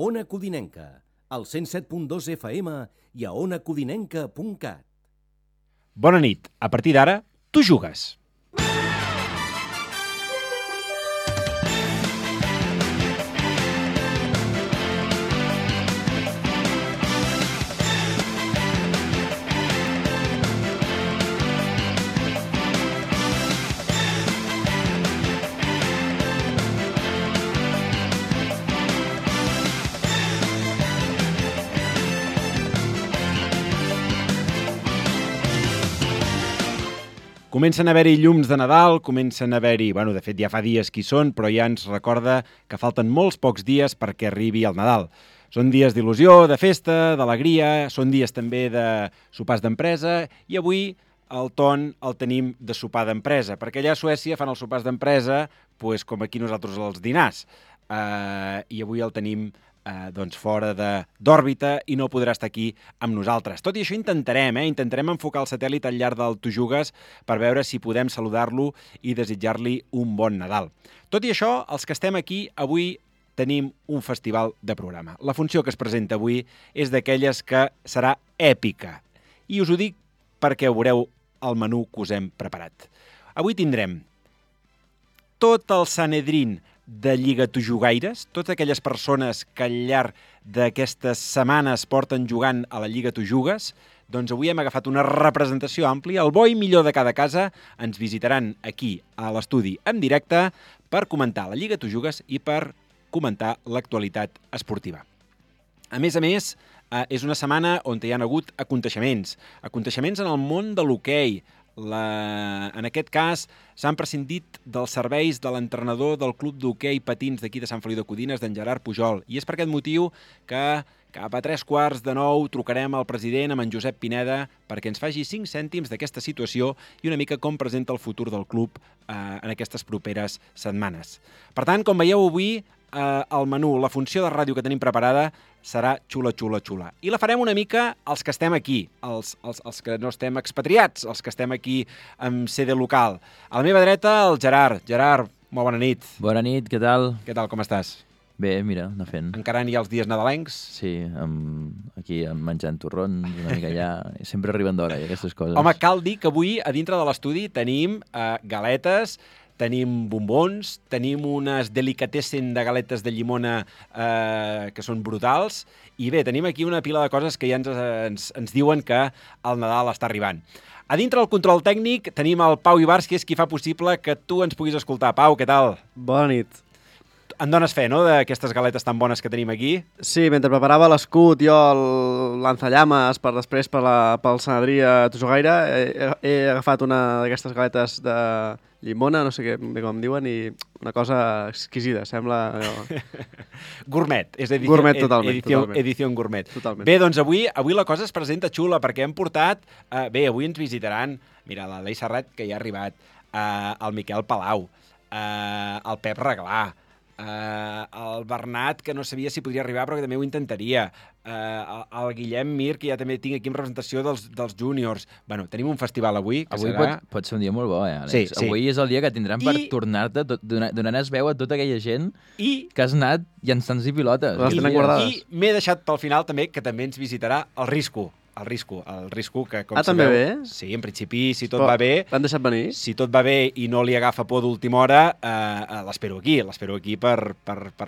Ona Codinenca, al 107.2 FM i a onacodinenca.cat. Bona nit. A partir d'ara, tu jugues. Comencen a haver-hi llums de Nadal, comencen a haver-hi... de fet, ja fa dies que hi són, però ja ens recorda que falten molts pocs dies perquè arribi el Nadal. Són dies d'il·lusió, de festa, d'alegria, són dies també de sopars d'empresa, i avui el ton el tenim de sopar d'empresa, perquè allà a Suècia fan els sopars d'empresa com aquí nosaltres els dinars. I avui el tenim fora d'òrbita i no podrà estar aquí amb nosaltres. Tot i això intentarem enfocar el satèl·lit al llarg del Tu Jugues per veure si podem saludar-lo i desitjar-li un bon Nadal. Tot i això, els que estem aquí avui tenim un festival de programa. La funció que es presenta avui és d'aquelles que serà èpica. I us ho dic perquè veureu el menú que us hem preparat. Avui tindrem tot el Sanedrín de Lliga-Tu-Jugaires, totes aquelles persones que al llarg d'aquestes setmanes porten jugant a la Lliga-Tu-Jugues, doncs avui hem agafat una representació àmplia. El bo i millor de cada casa ens visitaran aquí a l'estudi en directe per comentar la Lliga-Tu-Jugues i per comentar l'actualitat esportiva. A més, és una setmana on hi ha hagut aconteixements en el món de l'hoquei. En aquest cas, s'han prescindit dels serveis de l'entrenador del club d'hoquei patins d'aquí de Sant Feliu de Codines, d'en Gerard Pujol. I és per aquest motiu que cap a 8:45 trucarem al president, amb en Josep Pineda, perquè ens faci 5 cèntims d'aquesta situació i una mica com presenta el futur del club en aquestes properes setmanes. Per tant, com veieu avui, el menú, la funció de ràdio que tenim preparada serà xula. I la farem una mica els que estem aquí, els que no estem expatriats, els que estem aquí amb sede local. A la meva dreta, el Gerard. Gerard, molt bona nit. Bona nit, què tal? Què tal, com estàs? Bé, mira, anar fent. Encarant ja els dies nadalencs? Sí, aquí menjant torrons, una mica allà. Sempre arriben d'hora, aquestes coses. Home, cal dir que avui, a dintre de l'estudi, tenim galetes, tenim bombons, tenim unes delicatessen de galetes de llimona que són brutals, i bé, tenim aquí una pila de coses que ja ens diuen que el Nadal està arribant. A dintre del control tècnic tenim el Pau Ibars, que és qui fa possible que tu ens puguis escoltar. Pau, què tal? Bona nit. En dones fe, no?, d'aquestes galetes tan bones que tenim aquí? Sí, mentre preparava l'escut, jo el lanzallames per després pel Sanedrí a Tujugaire, he agafat una d'aquestes galetes de llimona, no sé bé com diuen, i una cosa exquisida, sembla... Gourmet, és gourmet, totalment. Edició gourmet. Totalment. Bé, doncs avui la cosa es presenta xula, perquè hem portat... avui ens visitaran, mira, l'Alei Serrat, que ja ha arribat, el Miquel Palau, el Pep Reglà, el Bernat, que no sabia si podria arribar, però que també ho intentaria, el Guillem Mir, que ja també tinc aquí en representació dels júniors. Bueno, tenim un festival avui, que avui serà... pot ser un dia molt bo, Àlex? Sí. Avui és el dia que tindran per tornar-te, donant-es veu a tota aquella gent que has anat llançant i pilotes. Les tenen guardades. I m'he deixat pel final també, que també ens visitarà el Risco, que com també sabeu... ve? Sí, en principi, si tot va bé... L'han deixat venir? Si tot va bé i no li agafa por d'última hora, l'espero aquí per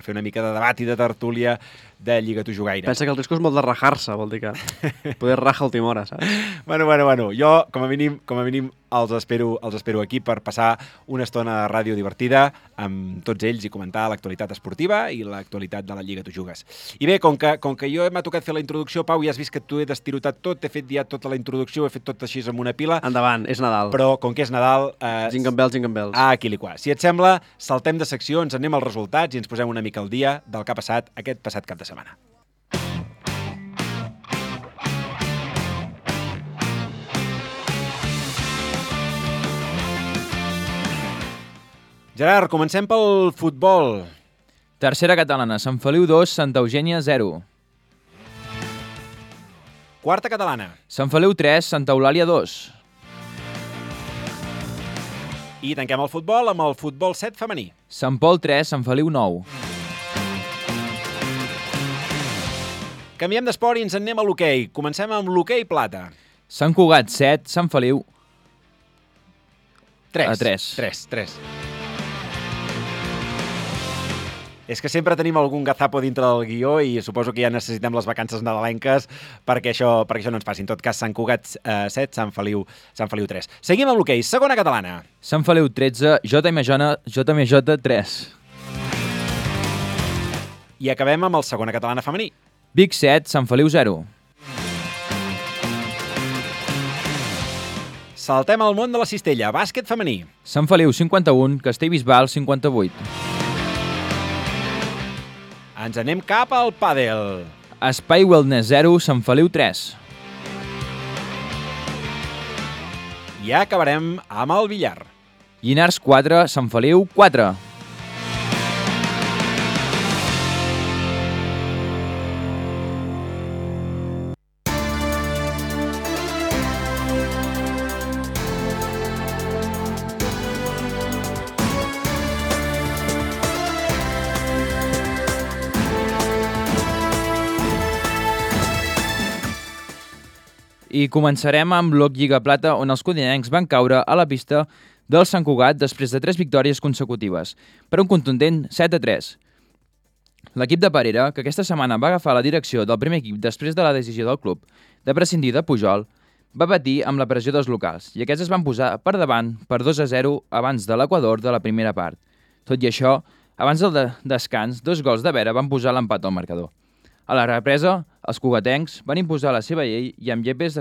fer una mica de debat i de tertúlia de Lliga-Tu-Jugaire. Pensa que el risc és molt de rajar-se, vol dir que poder rajar a última hora, saps? Bueno, jo, com a mínim, els espero aquí per passar una estona de ràdio divertida amb tots ells i comentar l'actualitat esportiva i l'actualitat de la Lliga-Tu-Jugues. I bé, com que jo m'ha tocat fer la introducció, Pau, ja has vist que tu he destirotat tot, he fet ja tota la introducció, he fet tot així amb una pila. Endavant, és Nadal. Però com que és Nadal... Jingle bells. Aquí li qua. Si et sembla, saltem de secció, ens anem als resultats i ens posem una mica al dia del que ha passat aquest passat cap de setmana. Gerard, comencem pel futbol. Tercera catalana, Sant Feliu 2, Santa Eugènia 0. Quarta catalana. Sant Feliu 3, Santa Eulàlia 2. I tanquem el futbol amb el futbol 7 femení. Sant Pol 3, Sant Feliu 9. Canviem d'esport i ens en anem a l'hoquei. Comencem amb l'hoquei plata. Sant Cugat 7, Sant Feliu 3. 3. És que sempre tenim algun gazapo dintre del guió i suposo que ja necessitem les vacances nadalenques perquè això no ens passi. En tot cas, Sant Cugat 7, Sant Feliu 3. Seguim amb l'hoquei. Segona catalana. Sant Feliu 13, JMJ 3. I acabem amb el segona catalana femení. Vic 7, Sant Feliu 0. Saltem al món de la cistella. Bàsquet femení. Sant Feliu 51, Castellbisbal 58. Ens anem cap al pàdel. Espai Wellness 0, Sant Feliu 3. I acabarem amb el billar. Llinars 4, Sant Feliu 4. I començarem amb l'Oc Lliga Plata, on els codinencs van caure a la pista del Sant Cugat després de 3 victòries consecutives, per un contundent 7-3. L'equip de Parera, que aquesta setmana va agafar la direcció del primer equip després de la decisió del club de prescindir de Pujol, va patir amb la pressió dels locals, i aquests es van posar per davant per 2-0 abans de l'Equador de la primera part. Tot i això, abans del descans, 2 gols de Vera van posar l'empat al marcador. A la represa, els cugatencs van imposar la seva llei i amb Llepes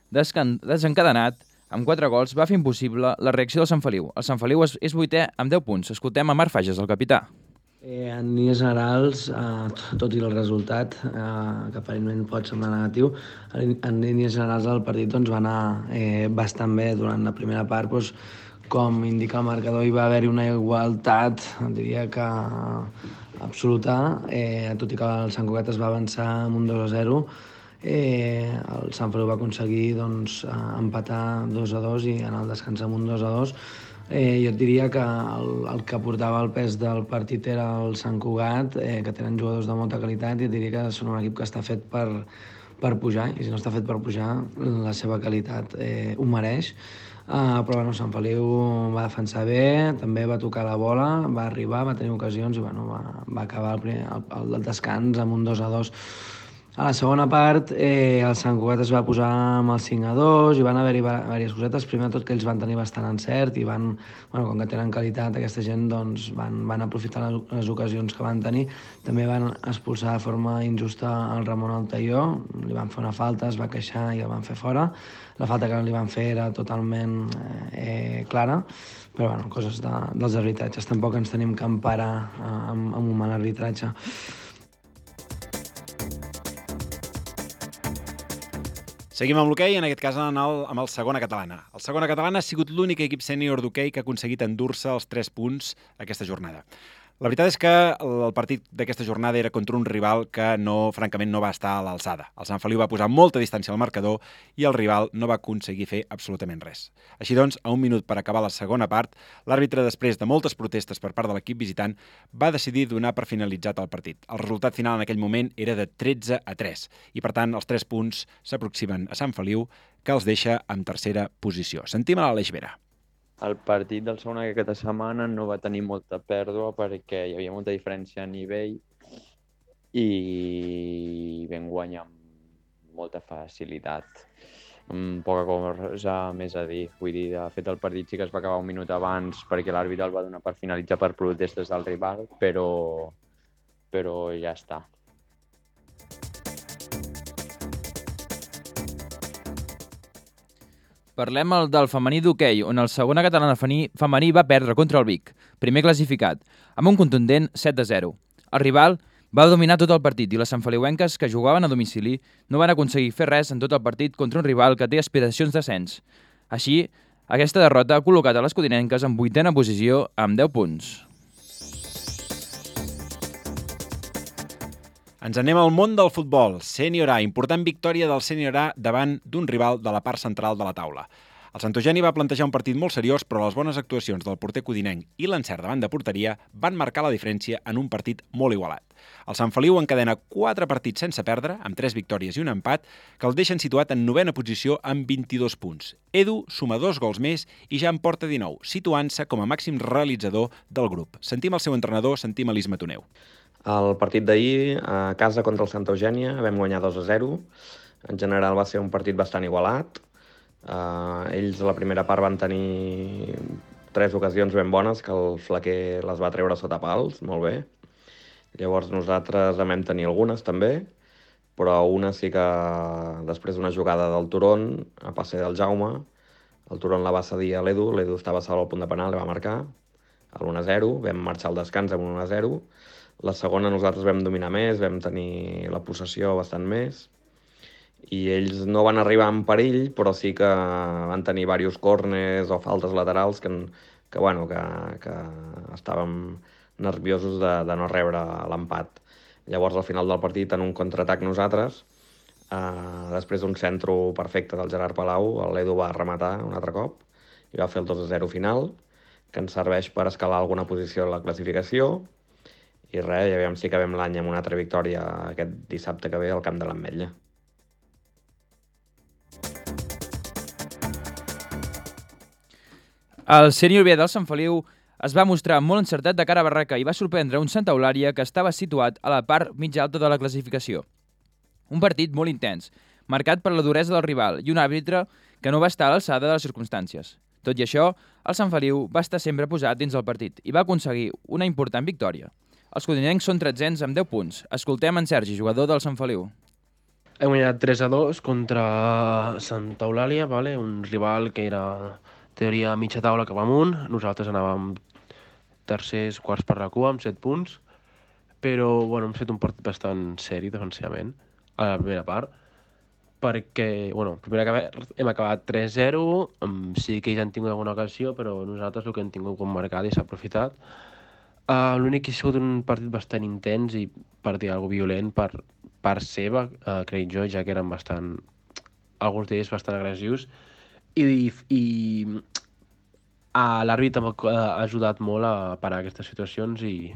desencadenat, amb 4 gols, va fer impossible la reacció del Sant Feliu. El Sant Feliu és 8è amb 10 punts. Escoltem a Marc Fages, el capità. En línies generals, tot i el resultat, que aparentment pot semblar negatiu, en línies generals el partit va anar bastant bé durant la primera part. Com indica el marcador, hi va haver-hi una igualtat, diria que absoluta, tot i que el Sant Cugat es va avançar amb un 2-0, el Sant Feliu va aconseguir empatar 2-2 i en el descans amb un 2-2. Jo et diria que el que portava el pes del partit era el Sant Cugat, que tenen jugadors de molta qualitat, i et diria que són un equip que està fet per pujar, i si no està fet per pujar, la seva qualitat ho mereix. Però Sant Feliu va defensar bé, també va tocar la bola, va arribar, va tenir ocasions i va acabar el descans amb un 2-2. A la segona part, el Sant Cugat es va posar amb el 5-2 i van haver-hi diverses cosetes. Primer de tot que ells van tenir bastant encert i com que tenen qualitat, aquesta gent van aprofitar les ocasions que van tenir. També van expulsar de forma injusta el Ramon Altaió, li van fer una falta, es va queixar i el van fer fora. La falta que li van fer era totalment clara, però coses dels arbitratges. Tampoc ens tenim que emparar amb un mal arbitratge. Seguim amb l'hoquei, en aquest cas amb el segona catalana. El segona catalana ha sigut l'únic equip sènior d'hoquei que ha aconseguit endur-se els 3 punts aquesta jornada. La veritat és que el partit d'aquesta jornada era contra un rival que francament no va estar a l'alçada. El Sant Feliu va posar molta distància al marcador i el rival no va aconseguir fer absolutament res. Així doncs, a un minut per acabar la segona part, l'àrbitre, després de moltes protestes per part de l'equip visitant, va decidir donar per finalitzat el partit. El resultat final en aquell moment era de 13-3 i, per tant, els 3 punts s'aproximen a Sant Feliu, que els deixa en tercera posició. Sentim a l'Aleix Vera. El partit del segon aquesta setmana no va tenir molta pèrdua perquè hi havia molta diferència a nivell i vam guanyar amb molta facilitat. Poca cosa més a dir. Vull dir, de fet, el partit sí que es va acabar un minut abans perquè l'àrbitre el va donar per finalitzar per protestes del rival, però ja està. Parlem del femení d'hoquei, on el segona catalana femení va perdre contra el Vic, primer classificat, amb un contundent 7-0. El rival va dominar tot el partit i les santfeliuenques que jugaven a domicili no van aconseguir fer res en tot el partit contra un rival que té aspiracions d'ascens. Així, aquesta derrota ha col·locat a les codinenques en 8a posició amb 10 punts. Ens anem al món del futbol. Sènior A, important victòria del Sènior A davant d'un rival de la part central de la taula. El Sant Eugeni va plantejar un partit molt seriós, però les bones actuacions del porter codinenc i l'encert davant de porteria van marcar la diferència en un partit molt igualat. El Sant Feliu encadena 4 partits sense perdre, amb 3 victòries i un empat, que el deixen situat en 9ª posició amb 22 punts. Edu suma 2 gols més i ja en porta 19, situant-se com a màxim realitzador del grup. Sentim el seu entrenador, sentim Elis Matoneu. El partit d'ahir, a casa contra el Santa Eugènia, vam guanyar 2-0. En general va ser un partit bastant igualat. Ells a la primera part van tenir 3 ocasions ben bones, que el Flaquer les va treure sota pals, molt bé. Llavors nosaltres en vam tenir algunes també, però una sí que després d'una jugada del Turon, a passe del Jaume, el Turon la va cedir a l'Edu estava sol al punt de penal, li va marcar a l'1-0, vam marxar al descans amb un 1-0. La segona nosaltres vam dominar més, vam tenir la possessió bastant més, i ells no van arribar en perill, però sí que van tenir diversos córners o faltes laterals que estàvem nerviosos de no rebre l'empat. Llavors, al final del partit, en un contraatac nosaltres, després d'un centre perfecte del Gerard Palau, l'Edu va rematar un altre cop i va fer el 2-0 final, que ens serveix per escalar alguna posició en la classificació, i res, ja veiem si acabem l'any amb una altra victòria aquest dissabte que ve al camp de l'Ametlla. El sènior B del Sant Feliu es va mostrar molt encertat de cara a barraca i va sorprendre un Santa Eulàlia que estava situat a la part mitja alta de la classificació. Un partit molt intens, marcat per la duresa del rival i un àrbitre que no va estar a l'alçada de les circumstàncies. Tot i això, el Sant Feliu va estar sempre posat dins del partit i va aconseguir una important victòria. Els codinencs són 13ens amb 10 punts. Escoltem en Sergi, jugador del Sant Feliu. Hem guanyat 3-2 contra Santa Eulàlia, un rival que era teoria mitja taula cap amunt. Nosaltres anàvem tercers, quarts per la cua amb 7 punts, però hem fet un partit bastant seri defensivament a la primera part, perquè hem acabat 3-0, sí que ells han tingut alguna ocasió, però nosaltres el que hem tingut com marcat i s'ha aprofitat. L'únic que ha sigut un partit bastant intens i per dir alguna cosa violent per part seva, crec jo, ja que eren alguns d'ells bastant agressius, i l'àrbitre ha ajudat molt a parar aquestes situacions i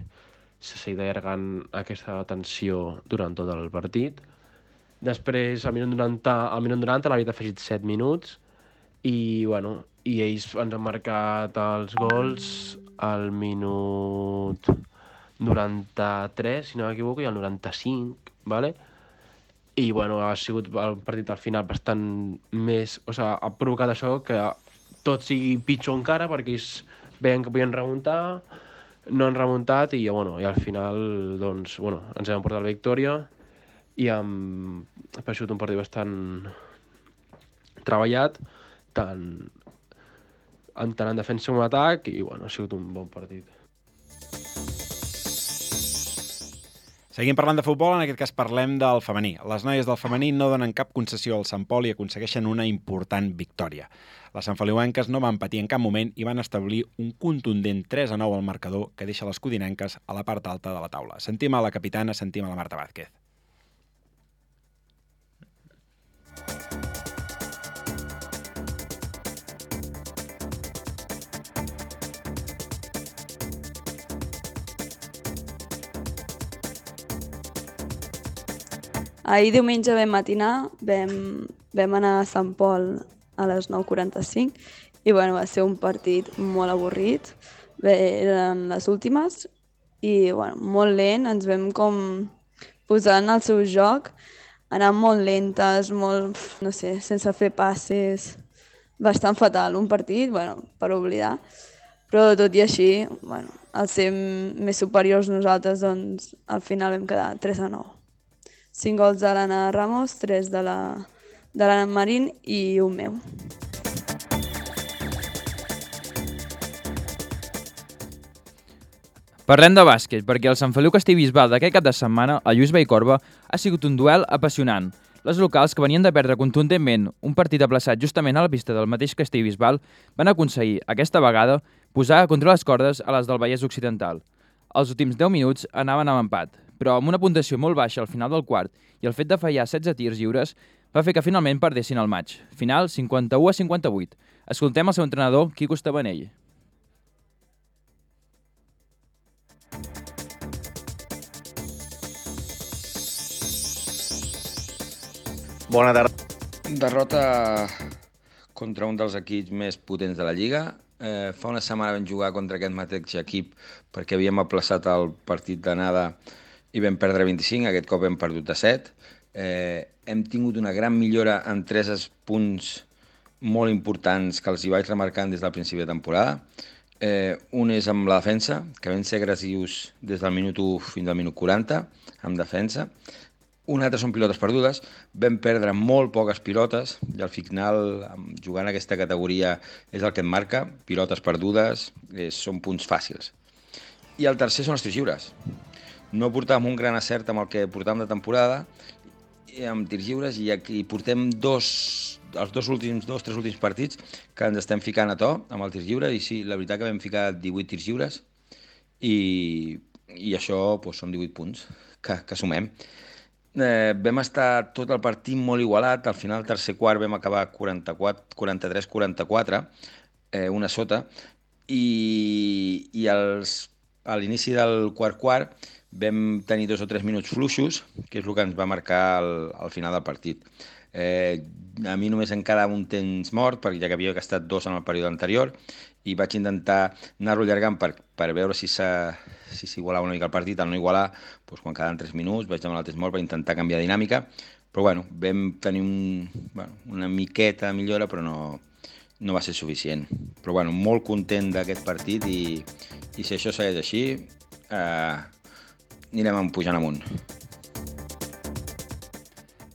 s'ha seguit allargant aquesta tensió durant tot el partit. Després, al minut 90 l'àrbitre ha afegit 7 minuts i ells ens han marcat els gols al minut 93, si no m'equivoco, i al 95, I ha sigut el partit al final bastant més... ha provocat això que tot sigui pitjor encara perquè ells veien que podien remuntar, no han remuntat i al final ens hem portat la victòria i ha sigut un partit bastant treballat, tant en defensa com en atac, i ha sigut un bon partit. Seguim parlant de futbol, en aquest cas parlem del femení. Les noies del femení no donen cap concessió al Sant Pol i aconsegueixen una important victòria. Les santfeliuenques no van patir en cap moment i van establir un contundent 3-9 al marcador que deixa les codinenques a la part alta de la taula. Sentim a la capitana, sentim a la Marta Vázquez. Ahir diumenge vam matinar, vam anar a Sant Pol a les 9:45 i va ser un partit molt avorrit. Eren les últimes i molt lent, ens vam com posar en el seu joc, anar molt lentes, sense fer passes, bastant fatal, un partit, per oblidar. Però tot i així, al ser més superiors nosaltres, doncs al final vam quedar 3-9. 5 gols de l'Anna Ramos, 3 de l'Anna Marín i un meu. Parlem de bàsquet, perquè el Sant Feliu Castellbisbal d'aquest cap de setmana, a Lluís Vallcorba, ha sigut un duel apassionant. Les locals, que venien de perdre contundentment un partit aplaçat justament a la pista del mateix Castellbisbal, van aconseguir, aquesta vegada, posar contra les cordes a les del Vallès Occidental. Els últims 10 minuts anaven amb empat, però amb una puntuació molt baixa al final del quart i el fet de fallar 16 tirs lliures va fer que finalment perdessin el maig. Final 51-58. Escoltem el seu entrenador, Quico Estabanell. Bona tarda. Derrota contra un dels equips més potents de la Lliga. Fa una setmana vam jugar contra aquest mateix equip perquè havíem aplaçat el partit d'anada i vam perdre 25, aquest cop hem perdut de 7. Hem tingut una gran millora en 3 punts molt importants que els hi vaig remarcant des del principi de temporada. Un és amb la defensa, que vam ser agressius des del minut 1 fins al minut 40, amb defensa. Un altre són pilotes perdudes. Vam perdre molt poques pilotes i al final, jugant en aquesta categoria, és el que et marca. Pilotes perdudes són punts fàcils. I el tercer són els tirs lliures. No portàvem un gran acert amb el que portàvem de temporada, amb tirs lliures, i aquí portem els 3 últims partits que ens estem ficant a to amb els tirs lliures, i sí, la veritat que vam ficar 18 tirs lliures i això són 18 punts que sumem. Vam estar tot el partit molt igualat, al final del tercer quart vam acabar 43-44, una sota, i a l'inici del quart vam tenir 2 o 3 minuts fluixos, que és el que ens va marcar al final del partit. A mi només em quedava un temps mort, perquè ja que havia gastat 2 en el període anterior, i vaig intentar anar-lo allargant per veure si s'igualava una mica el partit. Al no igualar, quan quedaven 3 minuts, vaig demanar el temps mort per intentar canviar dinàmica, però vam tenir una miqueta de millora, però no va ser suficient. Però molt content d'aquest partit, i si això segueix així, anirem pujant amunt.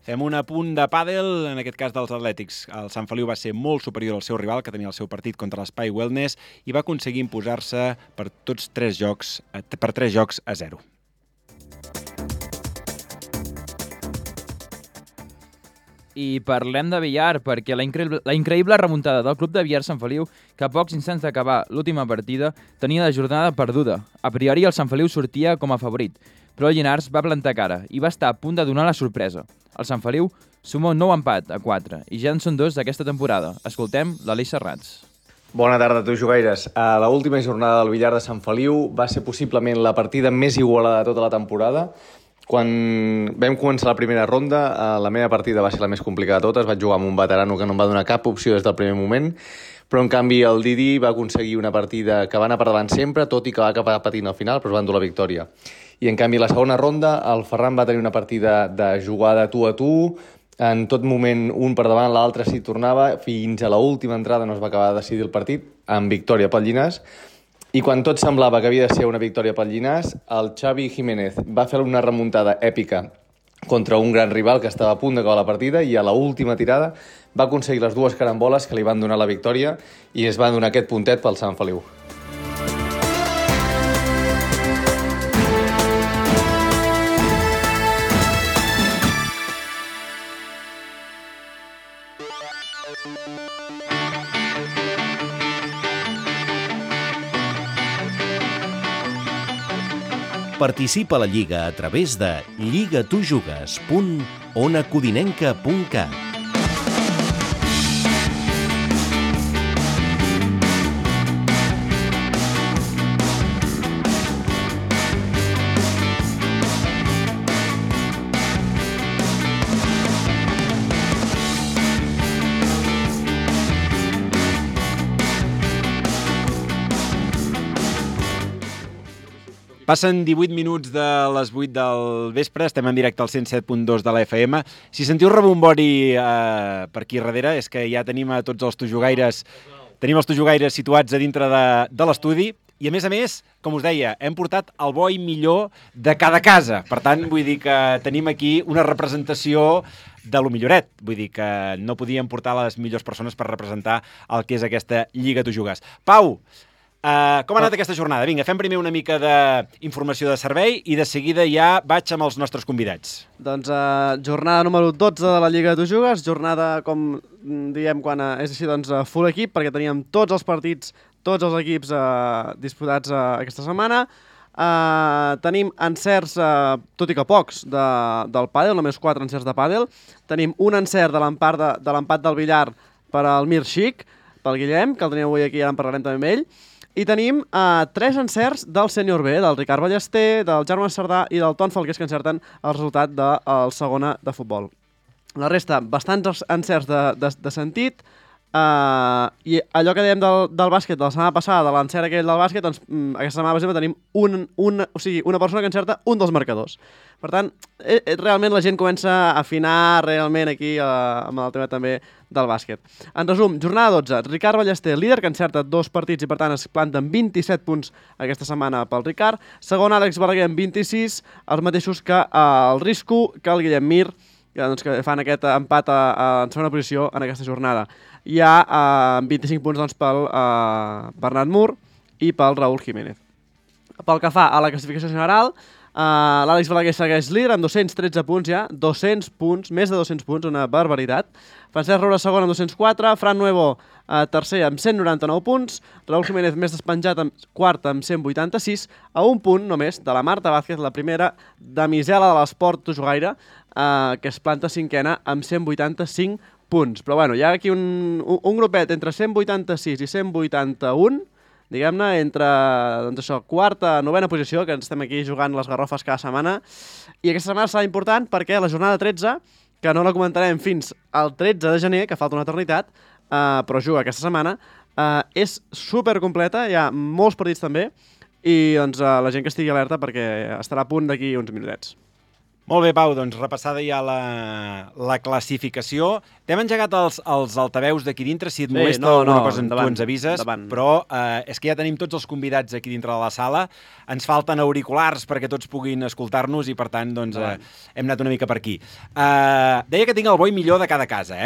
Fem un apunt de pàdel, en aquest cas dels Atlètics. El Sant Feliu va ser molt superior al seu rival, que tenia el seu partit contra l'Espai Wellness, i va aconseguir imposar-se per 3 jocs a 0. I parlem de billar, perquè la increïble remuntada del club de billar Sant Feliu, que a pocs instants d'acabar l'última partida, tenia la jornada perduda. A priori, el Sant Feliu sortia com a favorit, però el Llinars va plantar cara i va estar a punt de donar la sorpresa. El Sant Feliu suma un nou empat a 4 i ja en són 2 d'aquesta temporada. Escoltem l'Aleix Serrats. Bona tarda, tu jugaires. A l'última jornada del billar de Sant Feliu va ser possiblement la partida més igualada de tota la temporada. Quan vam començar la primera ronda, la meva partida va ser la més complicada de totes. Vaig jugar amb un veterano que no em va donar cap opció des del primer moment, però en canvi el Didi va aconseguir una partida que va anar per davant sempre, tot i que va acabar patint al final, però es va endur la victòria. I en canvi la segona ronda el Ferran va tenir una partida de jugada tu a tu, en tot moment un per davant, l'altre s'hi tornava, fins a l'última entrada no es va acabar de decidir el partit, amb victòria pel Llinars. I quan tot semblava que havia de ser una victòria pel Llinars, el Xavi Jiménez va fer una remuntada èpica contra un gran rival que estava a punt d'acabar la partida, i a l'última tirada va aconseguir les 2 caramboles que li van donar la victòria i es va donar aquest puntet pel Sant Feliu. Participa a la Lliga a través de lligatujugues.onacodinenca.cat. Passen 18 minuts de les 8 del vespre, estem en directe al 107.2 de la FM. Si sentiu rebombori per aquí darrere, és que ja tenim a tots els tojugaires, situats a dintre de l'estudi, i a més, com us deia, hem portat el bo i millor de cada casa. Per tant, vull dir que tenim aquí una representació de lo milloret. Vull dir que no podíem portar les millors persones per representar el que és aquesta Lliga Tu Jugues. Pau, com ha anat aquesta jornada? Vinga, fem primer una mica d'informació de servei i de seguida ja vaig amb els nostres convidats. Doncs jornada número 12 de la Lliga de Tu Jugues, jornada, com diem, quan és així, doncs full equip, perquè teníem tots els partits, tots els equips disputats aquesta setmana. Tenim encerts, tot i que pocs, del pàdel, només 4 encerts de pàdel. Tenim un encert de l'empat del billar per al Mir Xic. pel Guillem, que el tenim avui aquí, ara en parlarem també amb ell. I tenim 3 encerts del sènior B, del Ricard Ballester, del Jaume Cerdà i del Ton Falqués, que encerten el resultat del segona de futbol. La resta, bastants encerts de sentit. I allò que dèiem del bàsquet, de la setmana passada, de l'encert aquell del bàsquet, doncs aquesta setmana, per exemple, tenim una persona que encerta un dels marcadors. Per tant, realment la gent comença a afinar realment aquí amb el tema també del bàsquet. En resum, jornada 12, Ricard Ballester, líder, que encerta 2 partits i per tant es planten 27 punts aquesta setmana pel Ricard. Segon, Àlex Balaguer amb 26, els mateixos que el Risco, que el Guillem Mir, que fan aquest empat en segona posició en aquesta jornada. Hi ha 25 punts doncs, pel Bernat Mur i pel Raúl Jiménez. Pel que fa a la classificació general, l'Àlex Balaguer segueix líder amb 213 punts ja, 200 punts, més de 200 punts, una barbaritat. Francesc Roura segon amb 204, Fran Nuevo tercer amb 199 punts, Raúl Jiménez més despenjat quart amb 186, a un punt només de la Marta Vázquez, la primera damisela de l'esport tojogaire, que es planta cinquena amb 185 punts. Però bueno, hi ha aquí un grupet entre 186 i 181, diguem-ne, entre doncs això, quarta, novena posició, que ens estem aquí jugant les garrofes cada setmana. I aquesta setmana serà important perquè la jornada 13, que no la comentarem fins al 13 de gener, que falta una eternitat, però juga aquesta setmana, és supercompleta, hi ha molts partits també, i doncs, la gent que estigui alerta perquè estarà a punt d'aquí uns minutets. Molt bé, Pau, doncs repassada ja la classificació. T'hem engegat els altaveus d'aquí dintre, si et molesta alguna cosa tu ens avises, però és que ja tenim tots els convidats aquí dintre de la sala, ens falten auriculars perquè tots puguin escoltar-nos i per tant doncs, hem anat una mica per aquí. Deia que tinc el bo i millor de cada casa.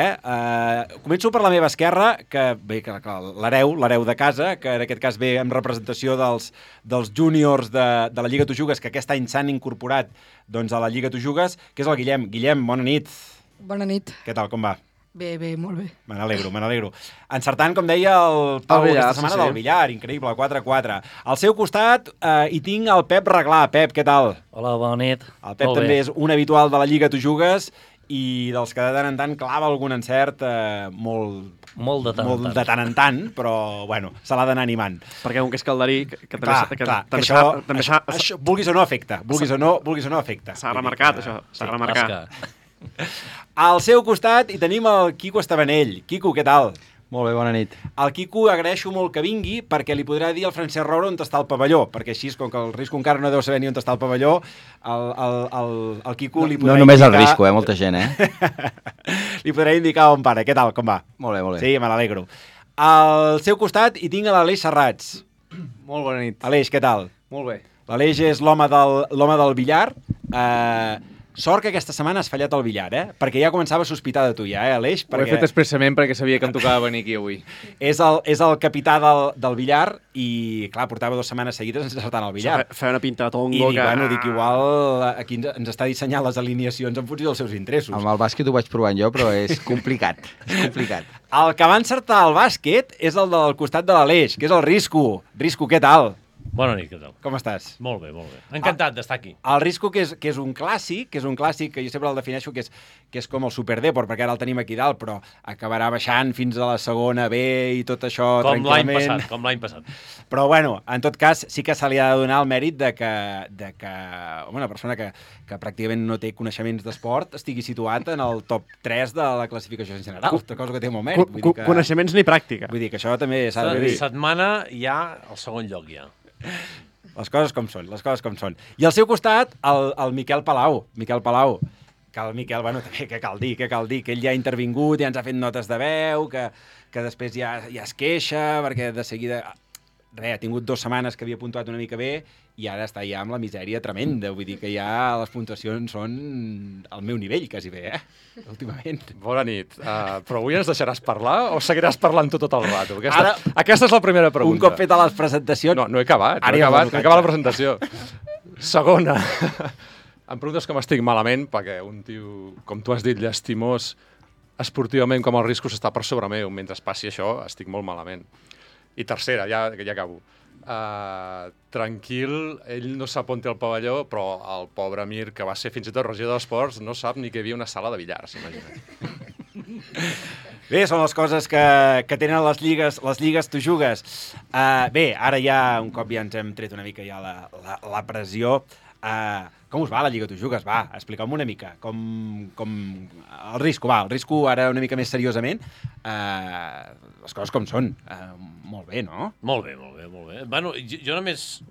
Començo per la meva esquerra, que l'hereu de casa, que en aquest cas ve en representació dels júniors de la Lliga Tojugues, que aquest any s'han incorporat doncs, a la Lliga Tojugues, que és el Guillem. Guillem, bona nit. Bona nit. Què tal, com va? Bé, molt bé. Me n'alegro. Encertant, com deia el Pau aquesta setmana, del billar, increïble, 4-4. Al seu costat hi tinc el Pep Reglà. Pep, què tal? Hola, bona nit. El Pep també és un habitual de la Lliga Tojugues i dels que de tant en tant clava algun encert molt de tant en tant, però bueno, se l'ha d'anar animant. Perquè un que és calderí, que també això, vulguis o no afecta. Vulguis o no afecta. S'ha remarcat, això. S'ha remarcat. Al seu costat hi tenim el Quico Estabanell. Quico, què tal? Molt bé, bona nit. El Quico agraeixo molt que vingui perquè li podrà dir al Francesc Roura on està el pavelló, perquè així, com que el Risco encara no deu saber ni on està el pavelló, el Quico li podrà indicar... No només el Risco, molta gent, Li podrà indicar on para. Què tal, com va? Molt bé. Sí, me n'alegro. Al seu costat hi tinc l'Aleix Serrats. Molt bona nit. Aleix, què tal? Molt bé. L'Aleix és l'home del billar. Sort que aquesta setmana has fallat el billar, perquè ja començava a sospitar de tu, Aleix. Ho he fet expressament perquè sabia que em tocava venir aquí avui. És el capità del billar i, clar, portava 2 setmanes seguides encertant el billar. Feia una pinta de tongo. I dic, igual aquí ens està dissenyant les alineacions en funció dels seus interessos. Amb el bàsquet ho vaig provant jo, però és complicat. El que va encertar el bàsquet és el del costat de l'Aleix, que és el Risco. Risco, què tal? Bona nit, què tal? Com estàs? Molt bé. Encantat d'estar aquí. El Risco, que és un clàssic, que jo sempre el defineixo que és com el Super Depor, perquè ara el tenim aquí dalt, però acabarà baixant fins a la segona B i tot això tranquil·lament. Com l'any passat. Però, bueno, en tot cas, sí que se li ha de donar el mèrit de que una persona que pràcticament no té coneixements d'esport estigui situat en el top 3 de la classificació general, cosa que té molt mèrit. Coneixements ni pràctica. Vull dir que això també s'ha de dir. Setmana ja al segon lloc ja. Les coses com són. I al seu costat, el Miquel Palau. Que el Miquel, bueno, també, què cal dir, que ell ja ha intervingut, ja ens ha fet notes de veu, que després ja es queixa, perquè de seguida... ha tingut 2 setmanes que havia puntuat una mica bé i ara està ja amb la misèria tremenda. Vull dir que ja les puntuacions són al meu nivell, quasi bé, últimament. Bona nit. Però avui ens deixaràs parlar o seguiràs parlant tot el rato? Aquesta és la primera pregunta. Un cop feta les presentacions... No he acabat la presentació. Segona. Em preguntes com estic malament, perquè un tio, com tu has dit, llastimós, esportivament com el Risco s'està per sobre meu. Mentre passi això, estic molt malament. I tercera, ja acabo. Tranquil, ell no sap on té el pavelló, però el pobre Mir, que va ser fins i tot regidor d'esports, no sap ni que hi havia una sala de billar, s'imagina. Bé, són les coses que tenen les lligues tu jugues. Bé, ara ja, un cop ja ens hem tret una mica ja la pressió, com us va la lliga tu jugues? Va, expliqueu-me una mica. Com el risco ara una mica més seriosament. Les coses com són. Molt bé, no? Molt bé. Bueno, jo només...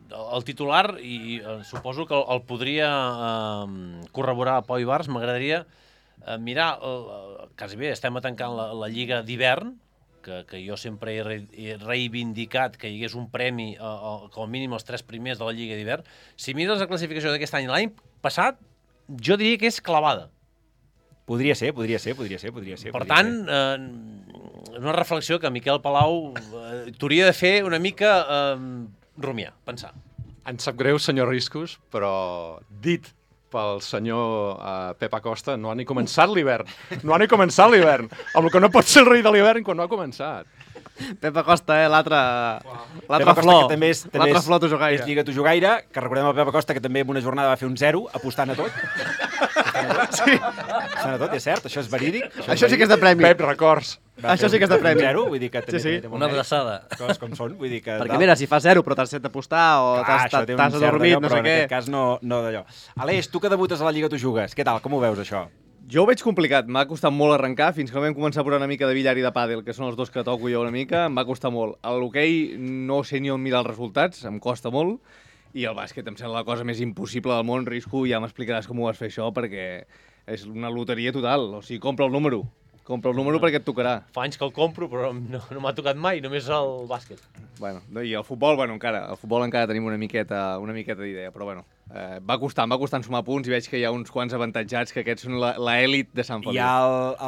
El titular, i suposo que el podria corroborar Pau Ibars, m'agradaria mirar, quasi bé, estem a tancant la Lliga d'hivern, que jo sempre he reivindicat que hi hagués un premi, com a mínim els 3 primers de la Lliga d'hivern. Si mires la classificació d'aquest any, l'any passat, jo diria que és clavada. Podria ser. Per tant, una reflexió que Miquel Palau t'hauria de fer una mica rumiar, pensar. Em sap greu, senyor Riscos, però dit pel senyor Pep Acosta, no ha ni començat l'hivern. Amb el que no pot ser el rei de l'hivern quan no ha començat. Pep Acosta, l'altre Pep flor. Que també és flor tujugaire. És Lliga Tujugaire, que recordem el Pep Acosta, que també en una jornada va fer un 0, apostant a tot. Apostant a tot, és cert, això és verídic. Això sí que és de premi. Pep, records. Això sí que és de premi. 0, vull dir que també té una abraçada. Coses com són, vull dir que... Perquè mira, si fa 0 però t'has set d'apostar o t'has adormit, no sé què... Però en aquest cas no d'allò. Aleix, tu que debutes a la Lliga tu jugues, què tal, com ho veus això? Jo ho veig complicat, m'ha costat molt arrencar, fins que vam començar a posar una mica de billar i de pàdel, que són els dos que toco jo una mica, em va costar molt. A l'hoquei no sé ni on mirar els resultats, em costa molt, i el bàsquet em sembla la cosa més impossible del món. Risco, ja m'explicaràs com ho vas fer això, perquè és una loteria total, o sigui, compra el número perquè et tocarà. Fa anys que el compro, però no m'ha tocat mai, només el bàsquet. Bueno, i el futbol, el futbol encara tenim una miqueta d'idea, però bueno, va costant sumar punts i veig que hi ha uns quants avantatjats, que aquests són l'elit de Sant Feliu. Hi ha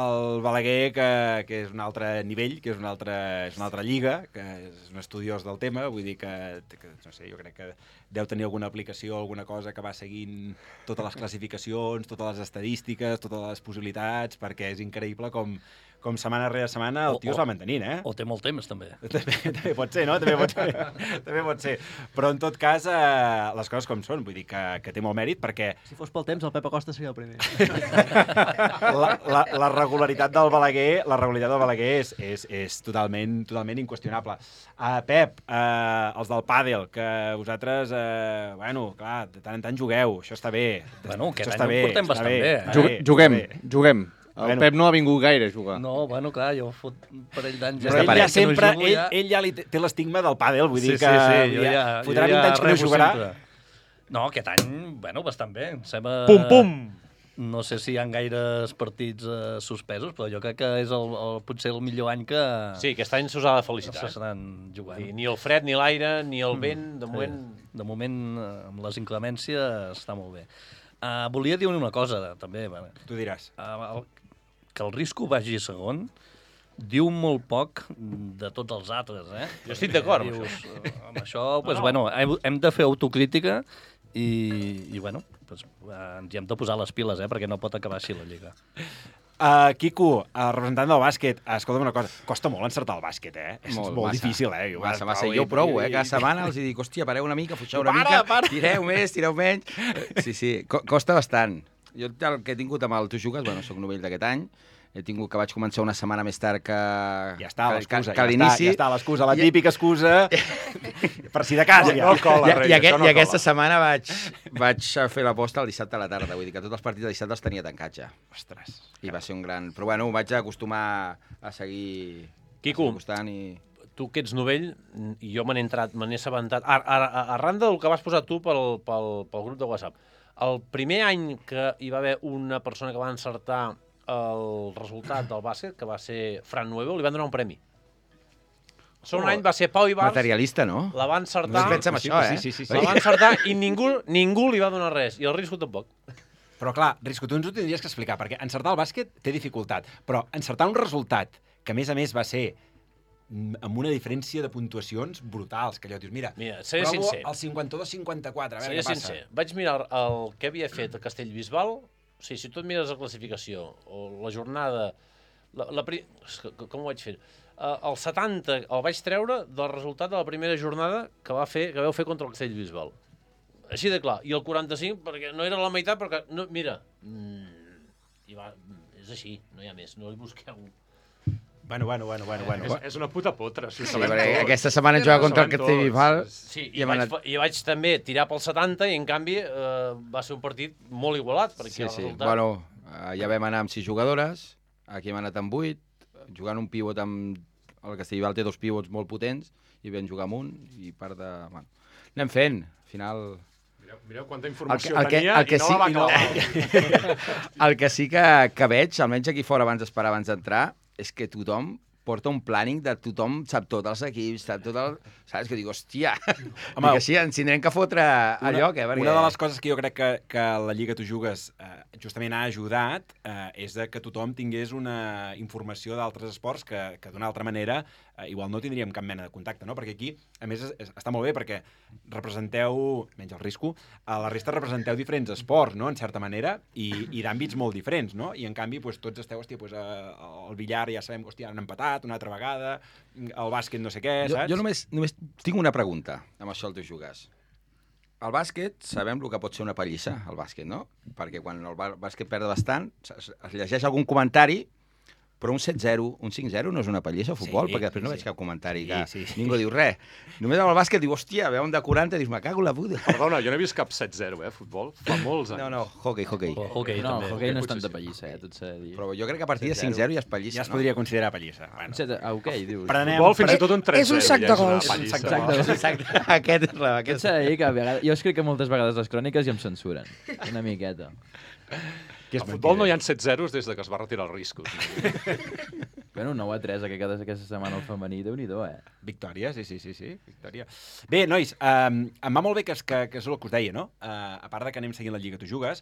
el Balaguer, que és un altre nivell, que és una altra lliga, que és un estudiós del tema, vull dir que no sé, jo crec que deu tenir alguna aplicació, alguna cosa que va seguint totes les classificacions, totes les estadístiques, totes les possibilitats, perquè és increïble com setmana rere setmana el tio es va mantenint, eh? O té molt temps, també. També pot ser, no? També pot ser. Però, en tot cas, les coses com són. Vull dir que té molt mèrit, perquè... Si fos pel temps, el Pep Acosta seria el primer. La regularitat del Balaguer és totalment inqüestionable. Pep, els del pàdel, que vosaltres, bueno, clar, de tant en tant jugueu, això està bé. Bueno, aquest any ho portem bastant bé. Juguem. El Pep no ha vingut gaire a jugar. No, bueno, clar, jo fot un parell d'anys... Però ell ja sempre, ell ja té l'estigma del pàdel, vull dir que fotrà 20 anys que no jugarà. No, aquest any, bueno, bastant bé. Pum! No sé si hi ha gaires partits suspesos, però jo crec que és potser el millor any que... Sí, aquest any s'us ha de felicitar. S'estaran jugant. Ni el fred, ni l'aire, ni el vent, de moment... De moment, amb les inclemències, està molt bé. Volia dir una cosa, també. Tu diràs. Que el Risco vagi segon diu molt poc de tots els altres, eh? Jo estic d'acord amb això. Amb això, doncs, bueno, hem de fer autocrítica i bueno, ens hi hem de posar les piles, perquè no pot acabar així la Lliga. Quico, representant del bàsquet, escolta'm una cosa, costa molt encertar el bàsquet, És molt difícil, Massa. Jo provo, cada setmana els dic, hòstia, pareu una mica, fuixeu una mica, tireu més, tireu menys. Sí, costa bastant. Jo el que he tingut amb el Tu Jugues, bueno, soc novell d'aquest any, he tingut que vaig començar una setmana més tard que l'inici. Ja està l'excusa, la típica excusa, per si de cas. I aquesta setmana vaig fer l'aposta el dissabte a la tarda, vull dir que tots els partits de dissabte els tenia tancats ja. Ostres. I va ser un gran... Però bueno, vaig acostumar a seguir... Quico, tu que ets novell, i jo me n'he assabentat, arran del que vas posar tu pel grup de WhatsApp, el primer any que hi va haver una persona que va encertar el resultat del bàsquet, que va ser Fran Nuevo, li van donar un premi. El segon any va ser Pau Ibars. Materialista, no? La va encertar. No es pensa en això, Sí. La va encertar i ningú li va donar res. I el Risco tampoc. Però clar, Risco, tu ens ho tindries que explicar, perquè encertar el bàsquet té dificultat, però encertar un resultat que, a més va ser amb una diferència de puntuacions brutals, que allò dius, mira seré sincer. El 52-54, a veure què passa. Sincer. Vaig mirar el que havia fet el Castellbisbal, si tu et mires la classificació, o la jornada, com ho vaig fer? El 70 el vaig treure del resultat de la primera jornada que vau fer contra el Castellbisbal. Així de clar. I el 45, perquè no era la meitat, perquè, no, mira, i és així, no hi ha més, no li busqueu. Bueno. És una puta potra. Sí, perquè aquesta setmana hem jugat contra el Castellbisbal. Sí, i vaig també tirar pel 70 i en canvi va ser un partit molt igualat. Sí. Bueno, ja vam anar amb 6 jugadores, aquí hem anat amb 8, jugant un pivot amb... El Castellbisbal té 2 pivots molt potents i vam jugar amb un i part de... Bueno, anem fent, al final... Mireu quanta informació tenia i no la va acabar. El que sí que veig, almenys aquí fora abans d'esperar, abans d'entrar, és que tothom porta un planning de tothom sap tot els equips, sap tot el... Saps? Que dic, hòstia, home, que sí, ens tindrem que fotre a lloc, perquè... Una de les coses que jo crec que la Lliga Tu Jugues justament ha ajudat és que tothom tingués una informació d'altres esports que d'una altra manera igual no tindríem cap mena de contacte, no? Perquè aquí, a més, està molt bé perquè representeu, menys el risco, a la resta representeu diferents esports, no?, en certa manera, i d'àmbits molt diferents, no? I en canvi, doncs, tots esteu, hòstia, doncs, el billar ja sabem que, hòstia, han empatat una altra vegada, el bàsquet no sé què, saps? Jo només tinc una pregunta amb això del Tu Jugues. El bàsquet, sabem el que pot ser una pallissa, el bàsquet, no? Perquè quan el bàsquet perd bastant, es llegeix algun comentari, però un 7-0, un 5-0 no és una pallissa al futbol, perquè després no veig cap comentari que ningú diu res. Només amb el bàsquet diu, hòstia, veu un de 40 i dius, me cago la puta. Perdona, jo no he vist cap 7-0, futbol, fa molts anys. No, hockey. No, hockey no és tanta pallissa, tot s'ha de dir. Però jo crec que a partir de 5-0 ja és pallissa, ja es podria considerar pallissa. Hockey, dius. Futbol fins i tot un 3-0. És un sac de gols. Exacte. Aquest s'ha de dir que a vegades... Jo escric que moltes vegades les cròniques i em censuren. Una miqueta. Al futbol no hi ha 7-0 des que es va retirar el risco. Bueno, 9-3 aquesta setmana al femení, Déu-n'hi-do, Victòria, sí, victòria. Bé, nois, em va molt bé que és el que us deia, no? A part de que anem seguint la Lliga Tu Jugues,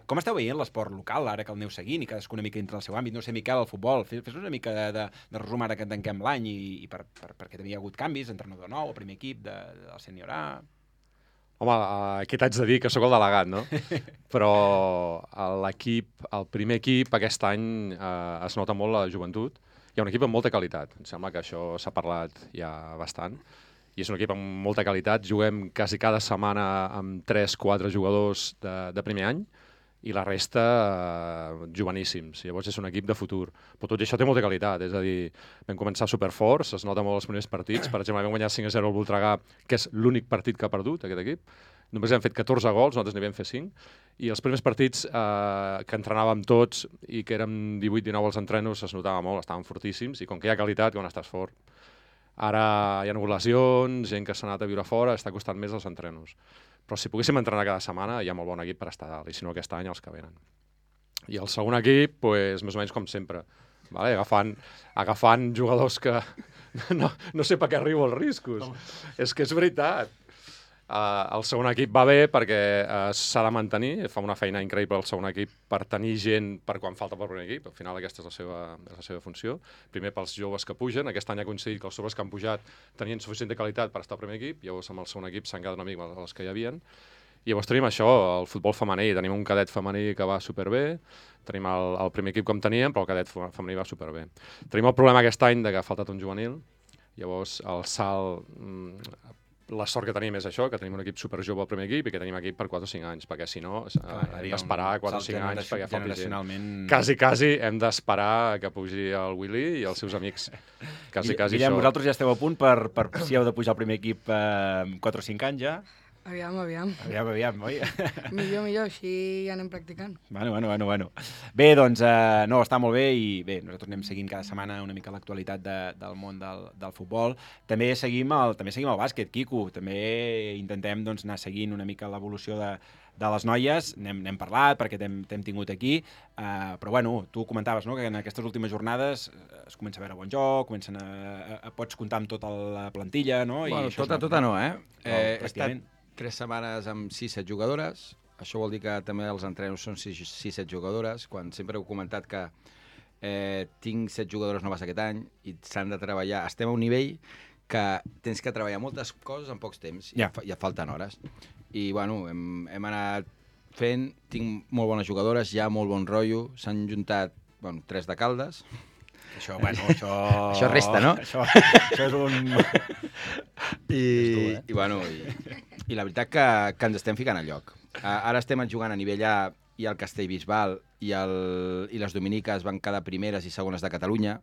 com esteu veient l'esport local, ara que el aneu seguint i cadascú una mica dintre del seu àmbit? No sé, Miquel, el futbol, fes una mica de resum ara que tanquem l'any i perquè també hi ha hagut canvis, entrenador nou, el primer equip del sènior A... Home, què t'haig de dir? Que sóc el delegat, no? Però l'equip, el primer equip, aquest any es nota molt la joventut. Hi ha un equip amb molta qualitat. Em sembla que això s'ha parlat ja bastant. I és un equip amb molta qualitat. Juguem quasi cada setmana amb 3-4 jugadors de primer any i la resta joveníssims. Llavors és un equip de futur. Però tot això té molta qualitat, és a dir, vam començar superforts, es nota molt els primers partits. Per exemple, vam guanyar 5-0 al Voltregà, que és l'únic partit que ha perdut, aquest equip. Només hem fet 14 gols, nosaltres n'hi vam fer 5. I els primers partits que entrenàvem tots i que érem 18-19 als entrenos es notava molt, estàvem fortíssims, i com que hi ha qualitat, quan estàs fort. Ara hi ha lesions, gent que s'ha anat a viure fora, està costant més els entrenos. Però si poguéssim entrenar cada setmana hi ha molt bon equip per estar dalt, i si no aquest any els que venen. I el segon equip, pues, més o menys com sempre, vale? agafant jugadors que no sé per què arribo als riscos. És que és veritat. El segon equip va bé perquè s'ha de mantenir, fa una feina increïble el segon equip per tenir gent per quan falta pel primer equip, al final aquesta és la seva funció. Primer pels joves que pugen, aquest any ha coincidit que els joves que han pujat tenien suficient de qualitat per estar al primer equip, llavors amb el segon equip s'han quedat una mica els que hi havien. I llavors tenim això, el futbol femení, tenim un cadet femení que va superbé, tenim el primer equip com teníem, però el cadet femení va superbé. Tenim el problema aquest any de que ha faltat un juvenil, llavors el salt... La sort que tenim és això, que tenim un equip superjove al primer equip i que tenim equip per 4 o 5 anys, perquè si no hem d'esperar 4 o 5 anys perquè falti gent. Quasi hem d'esperar que pugi el Willy i els seus amics. Quasi Guillem, això. vosaltres ja esteu a punt per si heu de pujar al primer equip 4 o 5 anys ja? Aviam, oi? Millor, així ja anem practicant. Bueno. Bé, doncs, no, està molt bé i bé, nosaltres anem seguint cada setmana una mica l'actualitat del món del futbol. També seguim el bàsquet, Quico. També intentem doncs, anar seguint una mica l'evolució de les noies. N'hem parlat perquè t'hem tingut aquí, però bueno, tu comentaves, no?, que en aquestes últimes jornades es comença a veure bon joc, pots comptar amb tota la plantilla, no? Bueno, tota no, he estat 3 setmanes amb 6-7 jugadores, això vol dir que també els entrenos són 6-7 jugadores, quan sempre heu comentat que tinc 7 jugadores noves aquest any i s'han de treballar, estem a un nivell que tens que treballar moltes coses en pocs temps, ja falten hores. I bueno, hem anat fent, tinc molt bones jugadores, hi ha molt bon rotllo, s'han juntat 3 de Caldes. Això resta, no? Això és un... I la veritat que ens estem ficant a lloc. Ara estem jugant a nivell A i el Castellbisbal i les Dominiques van quedar primeres i segones de Catalunya.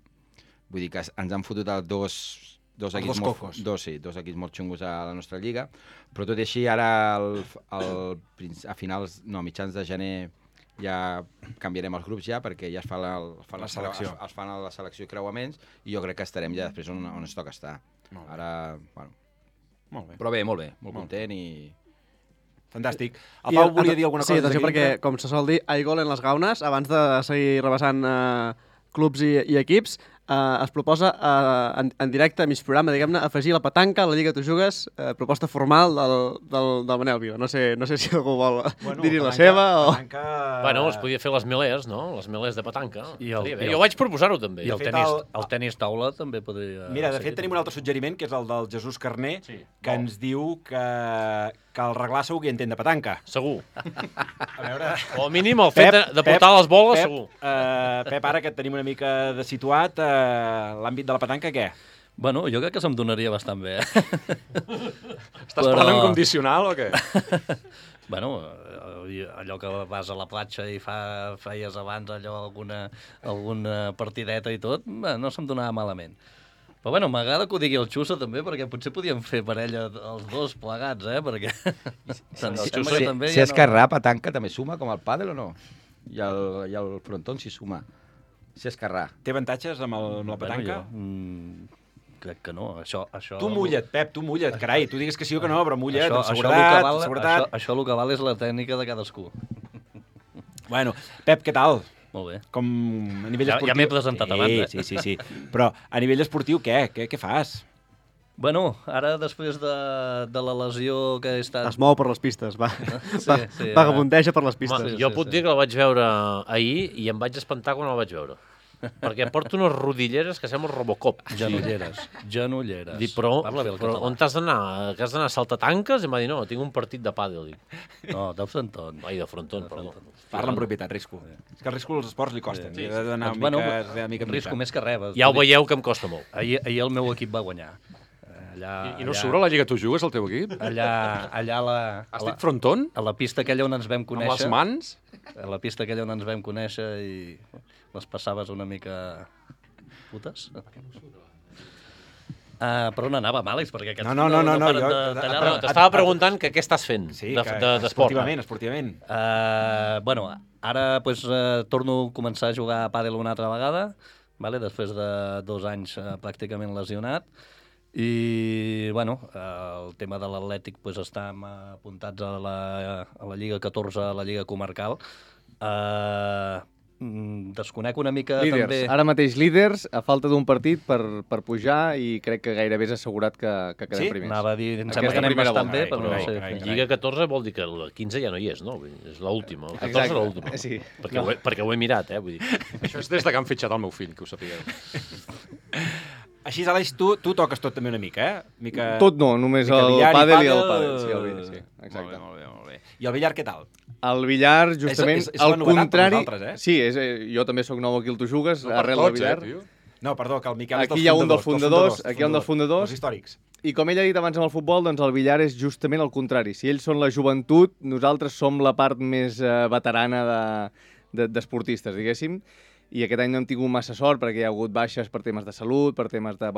Vull dir que ens han fotut dos equips molt xungos a la nostra lliga, però tot i així ara a mitjans de gener ja canviarem els grups perquè ja es fan la selecció i creuaments i jo crec que estarem ja després on ens toca estar. Ara, bueno... Molt bé. Però bé, molt content i... Fantàstic. El Pau volia dir alguna cosa? Sí, atenció, perquè, com se sol dir, hay gol en les gaunes. Abans de seguir rebassant clubs i equips, es proposa en directe, a mig programa, diguem-ne, afegir la petanca a la Lliga Tu Jugues, proposta formal del Manel Vila. No sé si algú vol dir-hi la seva o... Bueno, es podia fer les melers, no? Les melers de petanca. Jo vaig proposar-ho també. I el tenis taula també podria... Mira, de fet tenim un altre suggeriment, que és el del Jesús Carné, que ens diu que el reglar segur que hi entén de petanca. Segur. A veure... O al mínim el fet de portar les boles, segur. Pep, ara que et tenim una mica de situat, l'àmbit de la petanca, què? Bueno, jo crec que se'm donaria bastant bé. Estàs parlant en condicional o què? Bueno, allò que vas a la platja i feies abans alguna partideta i tot, no se'm donava malament. Però bueno, m'agrada que ho digui el Xuso també, perquè potser podíem fer parella els dos plegats, perquè... Si esquerrà, petanca també suma com el pàdel o no? I el frontón s'hi suma. Si esquerrà. Té avantatges amb la petanca? Crec que no. Tu mulla't, Pep, tu mulla't. Carai, tu digues que sí o que no, però mulla't, amb seguretat. Això el que val és la tècnica de cadascú. Bueno, Pep, què tal? Molt bé. Com a nivell esportiu... Ja m'he presentat abans. Sí. Però a nivell esportiu, què fas? Bueno, ara després de la lesió que he estat... Es mou per les pistes, vagabundeja per les pistes. Jo puc dir que el vaig veure ahir i em vaig espantar quan el vaig veure. Perquè porto unes rodilleres que semblen Robocop. Genolleres. Dic, però on t'has d'anar? Que has d'anar a saltatanques? I em va dir, no, tinc un partit de pàdel. No, de frontón. Ai, de frontón, perdó. Parla amb propietat, Risco. És que el Risco els esports li costen. Sí. Ha d'anar mica. Risco més que res. Ja ho veieu que em costa molt. Ahir el meu equip va guanyar. I no surt a la Lliga Tu Jugues, el teu equip? Allà Has dit frontón? A la pista aquella on ens vam conèixer. Amb les mans? A la pista aquella on ens vam conèixer i les passaves una mica putes. Per on anàvem, Àlex? Perquè aquests no, t'estava preguntant que què estàs fent d'esport. Esportivament. Bueno, ara torno a començar a jugar a pàdel una altra vegada, després de 2 anys pràcticament lesionat. I, bueno, el tema de l'Atlètic estem apuntats a la Lliga 14, a la Lliga Comarcal. Desconec una mica líders. També... Ara mateix líders, a falta d'un partit per pujar i crec que gairebé és assegurat que quedem primers. Sí? Anava a dir, em sembla que anem bastant bé, però no sé. Lliga 14 vol dir que la 15 ja no hi és, no? És l'última. El 14 és l'última. Sí. Perquè ho he mirat, vull dir. Això és des que han fitxat el meu fill, que ho sapigueu. Així, Àlex, tu toques tot també una mica, Tot no, només el pàdel i el pàdel. Sí, exacte. Molt bé. I el billar què tal? El billar, justament, al contrari... Sí, jo també sóc nou aquí al Tu Jugues, arrel del billar. No, perdó, que el Miquel és aquí hi ha un dels fundadors, aquí hi ha un dels fundadors. Els històrics. I com ell ha dit abans amb el futbol, doncs el billar és justament el contrari. Si ells són la joventut, nosaltres som la part més veterana d'esportistes, diguéssim. I aquest any no hem tingut massa sort perquè hi ha hagut baixes per temes de salut, per temes de,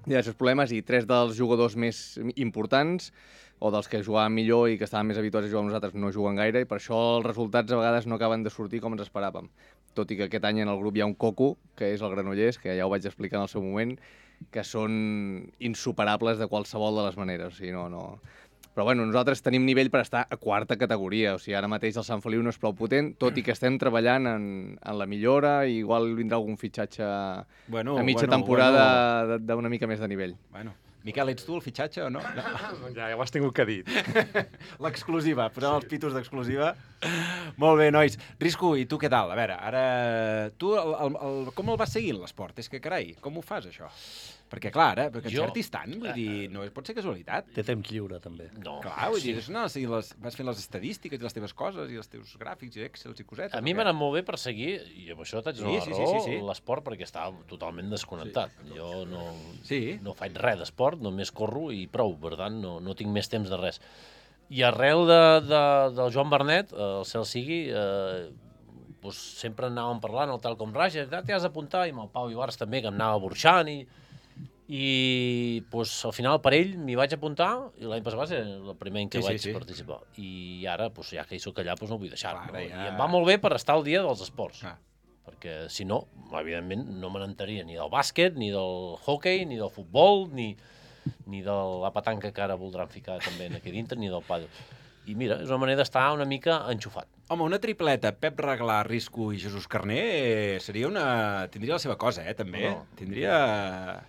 diversos problemes, i 3 dels jugadors més importants, o dels que jugaven millor i que estaven més habituats a jugar amb nosaltres, no juguen gaire, i per això els resultats a vegades no acaben de sortir com ens esperàvem. Tot i que aquest any en el grup hi ha un coco, que és el Granollers, que ja ho vaig explicar en el seu moment, que són insuperables de qualsevol de les maneres. O sigui, no... Però bueno, nosaltres tenim nivell per estar a 4ª categoria, o sigui, ara mateix el Sant Feliu no és prou potent, tot i que estem treballant en la millora, i igual vindrà algun fitxatge a mitja temporada d'una mica més de nivell. Miquel, ets tu el fitxatge o no? Ja ho has tingut que dir. L'exclusiva, posem els pitos d'exclusiva. Molt bé, nois. Risco, i tu què tal? A veure, ara... Tu com el vas seguint, l'esport? És que, carai, com ho fas, això? Perquè, clar, ara, perquè encertis tant, vull dir, no pot ser casualitat. Té temps lliure, també. No. Clar, vull dir, vas fent les estadístiques i les teves coses i els teus gràfics i excels i cosetes. A mi m'ha anat molt bé per seguir, i amb això t'haig de donar raó, l'esport, perquè estava totalment desconnectat. Jo no faig res d'esport, només corro i prou, per tant, no tinc més temps de res. I arrel del Joan Bernet, el cel sigui, doncs, sempre anàvem parlant, el tal com Raja, t'hi has d'apuntar, i amb el Pau Ibarz també, que em anava burxant, i doncs, al final per ell m'hi vaig apuntar, i l'any passat va ser el primer any que vaig participar. I ara, doncs, ja que hi soc allà, doncs no vull deixar-ho. I em va molt bé per estar al dia dels esports. Perquè, si no, evidentment, no me n'enteraria ni del bàsquet, ni del hockey, ni del futbol, ni de la petanca que ara voldran ficar també aquí dintre, ni del pàdel. I mira, és una manera d'estar una mica enxufat. Home, una tripleta, Pep Reglà, Risco i Jesús Carné, tindria la seva cosa, també. No. Tindria...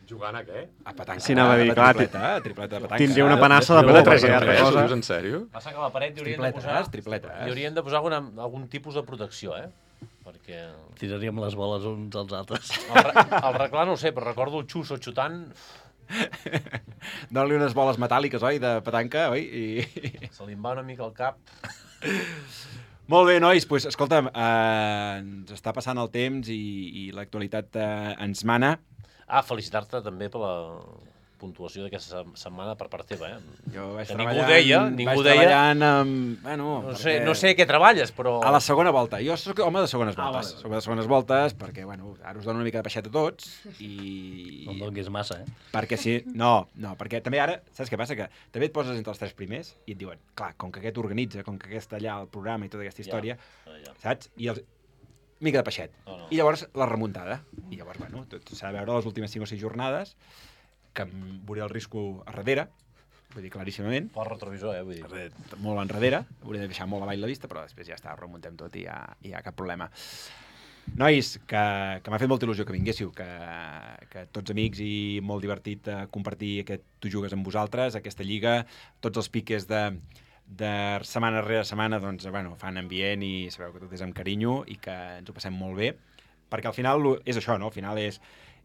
Jugant a què? A petanca. Sí, anava a dir, clar, tripleta de petanca. Tindria una panassa de poder por. 3 en 3, en sèrio? Passa que a la paret hi haurien de posar algun tipus de protecció, perquè... Tiraríem les boles uns als altres. El Reglà no ho sé, però recordo el Xuso xutant... Dóna-li unes boles metàl·liques, oi, de petanca, oi? Se li en va una mica al cap. Molt bé, nois, doncs, escolta'm, ens està passant el temps i l'actualitat ens mana. Felicitar-te també per la puntuació d'aquesta setmana per part teva, Jo vaig treballant amb... No sé què treballes, però... A la segona volta. Jo soc home de segones voltes. Soc de segones voltes perquè, ara us dono una mica de peixet a tots i... No em donguis massa, Perquè sí... No, perquè també ara, saps què passa? Que també et poses entre els 3 primers i et diuen, clar, com que aquest organitza, com que aquest allà, el programa i tota aquesta història, saps? I els... mica de peixet. I llavors la remuntada. I llavors, tot s'ha de veure les últimes 5 o 6 jornades que em veuré el Risco a darrere, vull dir, claríssimament. Pel retrovisor, vull dir. Molt enrere, hauria de deixar molt avall la vista, però després ja està, remuntem tot i ja cap problema. Nois, que m'ha fet molta il·lusió que vinguéssiu, que tots amics i molt divertit compartir aquest Tu jugues amb vosaltres, aquesta lliga, tots els piques de setmana rere setmana, doncs, fan ambient i sabeu que tot és amb carinyo i que ens ho passem molt bé, perquè al final és això, no? Al final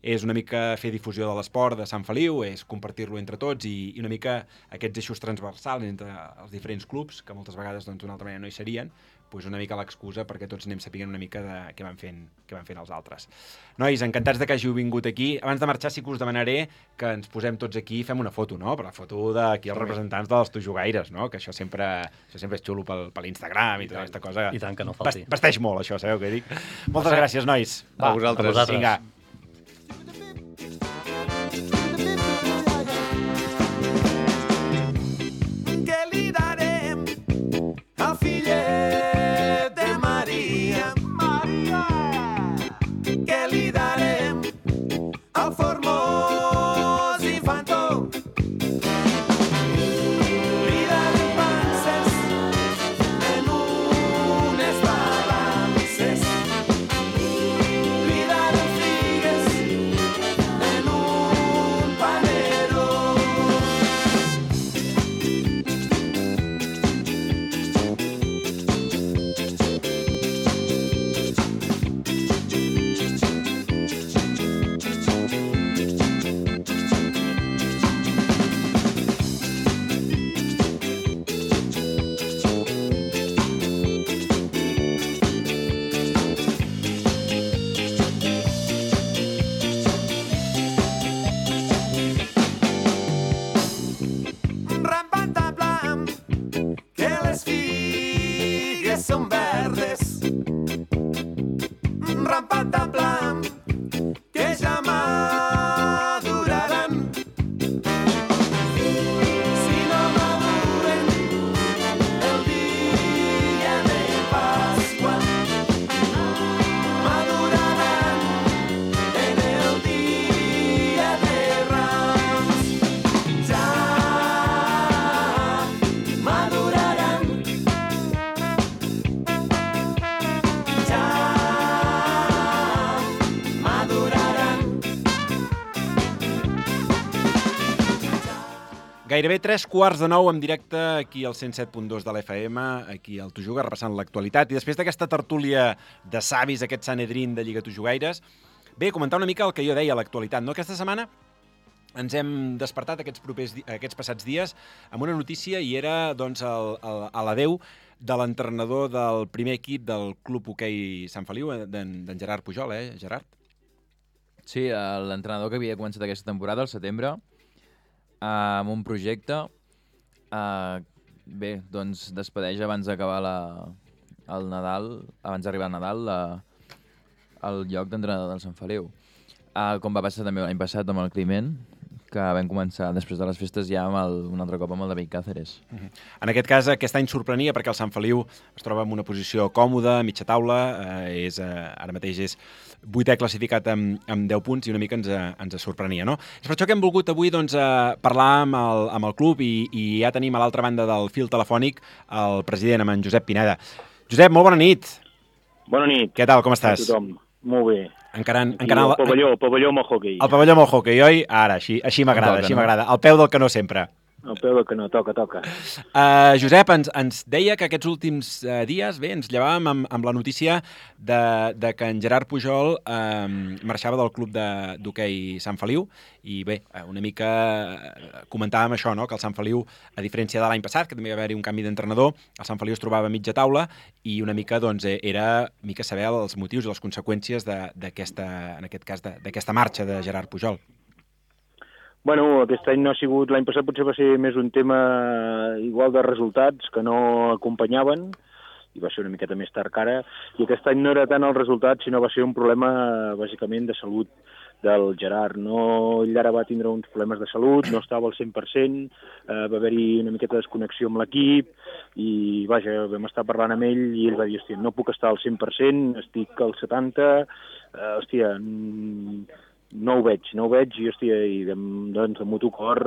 és una mica fer difusió de l'esport de Sant Feliu, és compartir-lo entre tots i una mica aquests eixos transversals entre els diferents clubs, que moltes vegades d'una altra manera no hi serien, doncs una mica l'excusa perquè tots anem sapient una mica de què van fent els altres. Nois, encantats de que hàgiu vingut aquí. Abans de marxar sí que us demanaré que ens posem tots aquí i fem una foto, no? Per la foto d'aquí els representants dels Tu Jugaires, no? Que això sempre és xulo per l'Instagram i tota aquesta cosa. I tant que no falti. Vesteix molt, això, sabeu què dic? Moltes gràcies, nois. A vosaltres. Vinga. Gairebé 3:15 en directe aquí al 107.2 de l'FM, aquí al Tu Juga, repassant l'actualitat. I després d'aquesta tertúlia de savis, aquest Sanedrín de Lliga Tu Jugaires, bé, comentar una mica el que jo deia, l'actualitat, no? Aquesta setmana ens hem despertat aquests passats dies amb una notícia i era doncs, l'adeu de l'entrenador del primer equip del Club Hoquei Sant Feliu, d'en Gerard Pujol, Gerard? Sí, l'entrenador que havia començat aquesta temporada, al setembre, amb un projecte, bé, doncs despedeix abans d'acabar al Nadal, abans d'arribar al Nadal, al lloc d'entrenador del Sant Feliu. Com va passar també l'any passat amb el Climent, que vam començar després de les festes ja amb un altre cop amb el David Cáceres. En aquest cas, aquest any sorprenia perquè el Sant Feliu es troba en una posició còmoda, mitja taula, ara mateix és 8è classificat amb 10 punts i una mica ens sorprenia, no? És per això que hem volgut avui parlar amb el club i ja tenim a l'altra banda del fil telefònic el president, amb en Josep Pineda. Josep, molt bona nit. Bona nit. Què tal, com estàs? A tothom. Molt bé. Encarant el pavelló amb el hockey. El pavelló amb el hockey, oi? Ara, així m'agrada, així m'agrada. Al peu del canó sempre. Al peu del canó, toca. Josep, ens deia que aquests últims dies, bé, ens llevàvem amb la notícia de que en Gerard Pujol marxava del club d'hoquei Sant Feliu i bé, una mica comentàvem això, no? Que el Sant Feliu, a diferència de l'any passat, que també va haver-hi un canvi d'entrenador, el Sant Feliu es trobava a mitja taula i una mica era saber els motius i les conseqüències d'aquesta, en aquest cas, d'aquesta marxa de Gerard Pujol. Bueno, aquest any no ha sigut... L'any passat potser va ser més un tema igual de resultats que no acompanyaven i va ser una miqueta més tard que ara. I aquest any no era tant el resultat, sinó va ser un problema bàsicament de salut del Gerard. Ell ara va tindre uns problemes de salut, no estava al 100%, va haver-hi una miqueta de desconnexió amb l'equip i, vaja, vam estar parlant amb ell i ell va dir, hòstia, no puc estar al 100%, estic al 70%, hòstia, no ho veig i, hòstia, doncs, de mutu cor,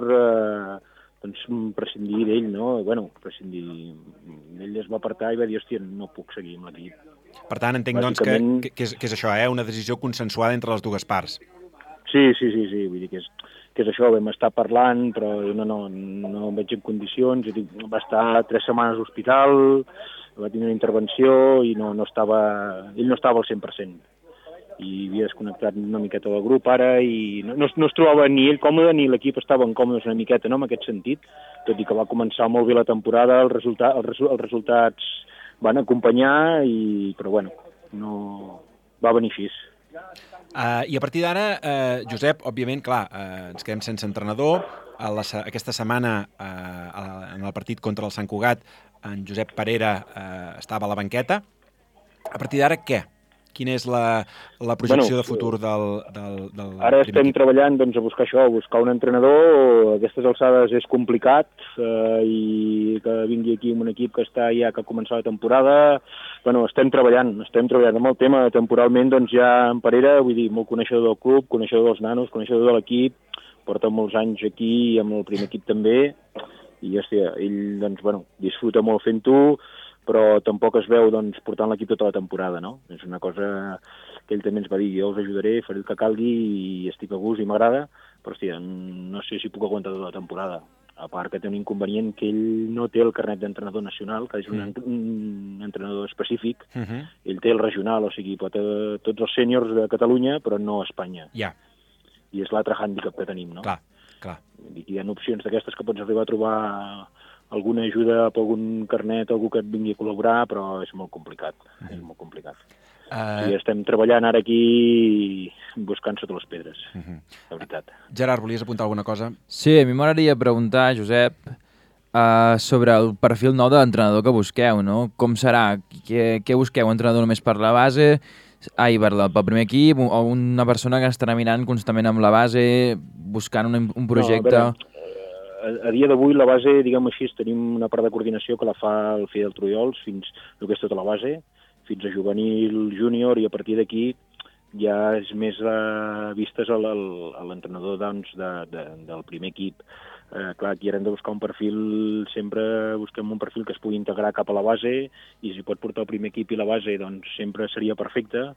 prescindir d'ell, no? Bueno, ell es va apartar i va dir, hòstia, no puc seguir amb l'equip. Per tant, entenc, doncs, que és això, una decisió consensuada entre les dues parts. Sí, vull dir que és això, vam estar parlant, però no em veig en condicions, va estar 3 setmanes a l'hospital, va tenir una intervenció i ell no estava al 100%. I havia desconnectat una miqueta del grup ara i no es trobava ni ell còmode ni l'equip estaven còmodes una miqueta, no?, en aquest sentit, tot i que va començar molt bé la temporada, els resultats van acompanyar, però bueno, no va venir així. I a partir d'ara, Josep, òbviament, clar, ens quedem sense entrenador. Aquesta setmana, en el partit contra el Sant Cugat, en Josep Parera estava a la banqueta. A partir d'ara, què? Quina és la projecció de futur del Ara estem treballant a buscar això, a buscar un entrenador. A aquestes alçades és complicat i que vingui aquí un equip que està ja que ha començat la temporada. Bueno, estem treballant amb el tema. Temporalment, doncs ja en Parera, vull dir, molt coneixedor del club, coneixedor dels nanos, coneixedor de l'equip, porta molts anys aquí amb el primer equip també i hòstia, ell doncs, bueno, disfruta molt fent-ho, però tampoc es veu portant l'equip tota la temporada, no? És una cosa que ell també ens va dir, jo us ajudaré, faré el que calgui i estic a gust i m'agrada, però hòstia, no sé si puc aguantar tota la temporada. A part que té un inconvenient que ell no té el carnet d'entrenador nacional, que és un entrenador específic, ell té el regional, o sigui, pot tots els sèniors de Catalunya, però no a Espanya. Ja. I és l'altre hàndicap que tenim, no? Clar. Hi ha opcions d'aquestes que pots arribar a trobar alguna ajuda per algun carnet, algú que et vingui a col·laborar, però és molt complicat. És molt complicat. I estem treballant ara aquí buscant sota les pedres, la veritat. Gerard, volies apuntar alguna cosa? Sí, a mi m'agradaria preguntar, Josep, sobre el perfil nou de l'entrenador que busqueu, no? Com serà? Què busqueu? Un entrenador només per la base? Pel primer equip? O una persona que estarà mirant constantment amb la base, buscant un projecte? No, a dia d'avui la base, diguem així, tenim una part de coordinació que la fa el Fidel Trullols, fins el que és tota la base, fins a juvenil, júnior, i a partir d'aquí ja és més vistes a l'entrenador del primer equip. Clar, aquí hem de buscar un perfil, sempre busquem un perfil que es pugui integrar cap a la base, i si pot portar el primer equip i la base, doncs sempre seria perfecte,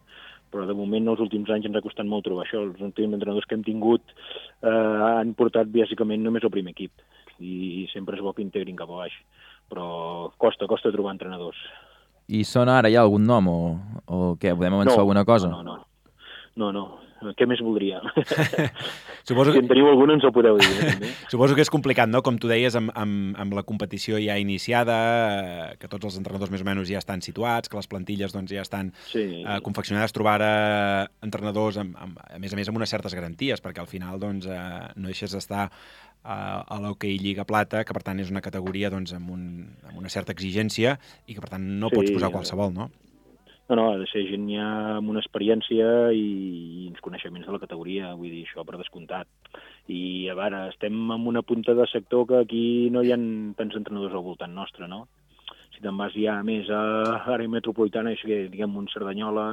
però de moment els últims anys ens ha costat molt trobar això. Els últims entrenadors que hem tingut han portat bàsicament només el primer equip i sempre és bo que integrin cap a baix, però costa trobar entrenadors. I sona ara ja algun nom o què? Podem avançar alguna cosa? No. Què més voldria? Suposo si en teniu algun ens ho podeu dir. També. Suposo que és complicat, no? Com tu deies, amb la competició ja iniciada, que tots els entrenadors més o menys ja estan situats, que les plantilles doncs, ja estan confeccionades, trobar entrenadors, a més amb unes certes garanties, perquè al final doncs, no deixes d'estar a l'hoquei Lliga Plata, que per tant és una categoria doncs, amb una certa exigència i que per tant no pots posar qualsevol, no? No, ha de ser gent ja amb una experiència i uns coneixements de la categoria, vull dir, això per descomptat. I a veure, estem en una punta de sector que aquí no hi ha tants entrenadors al voltant nostre, no? Si te'n vas ja més a l'àrea metropolitana, és que, diguem, un Cerdanyola,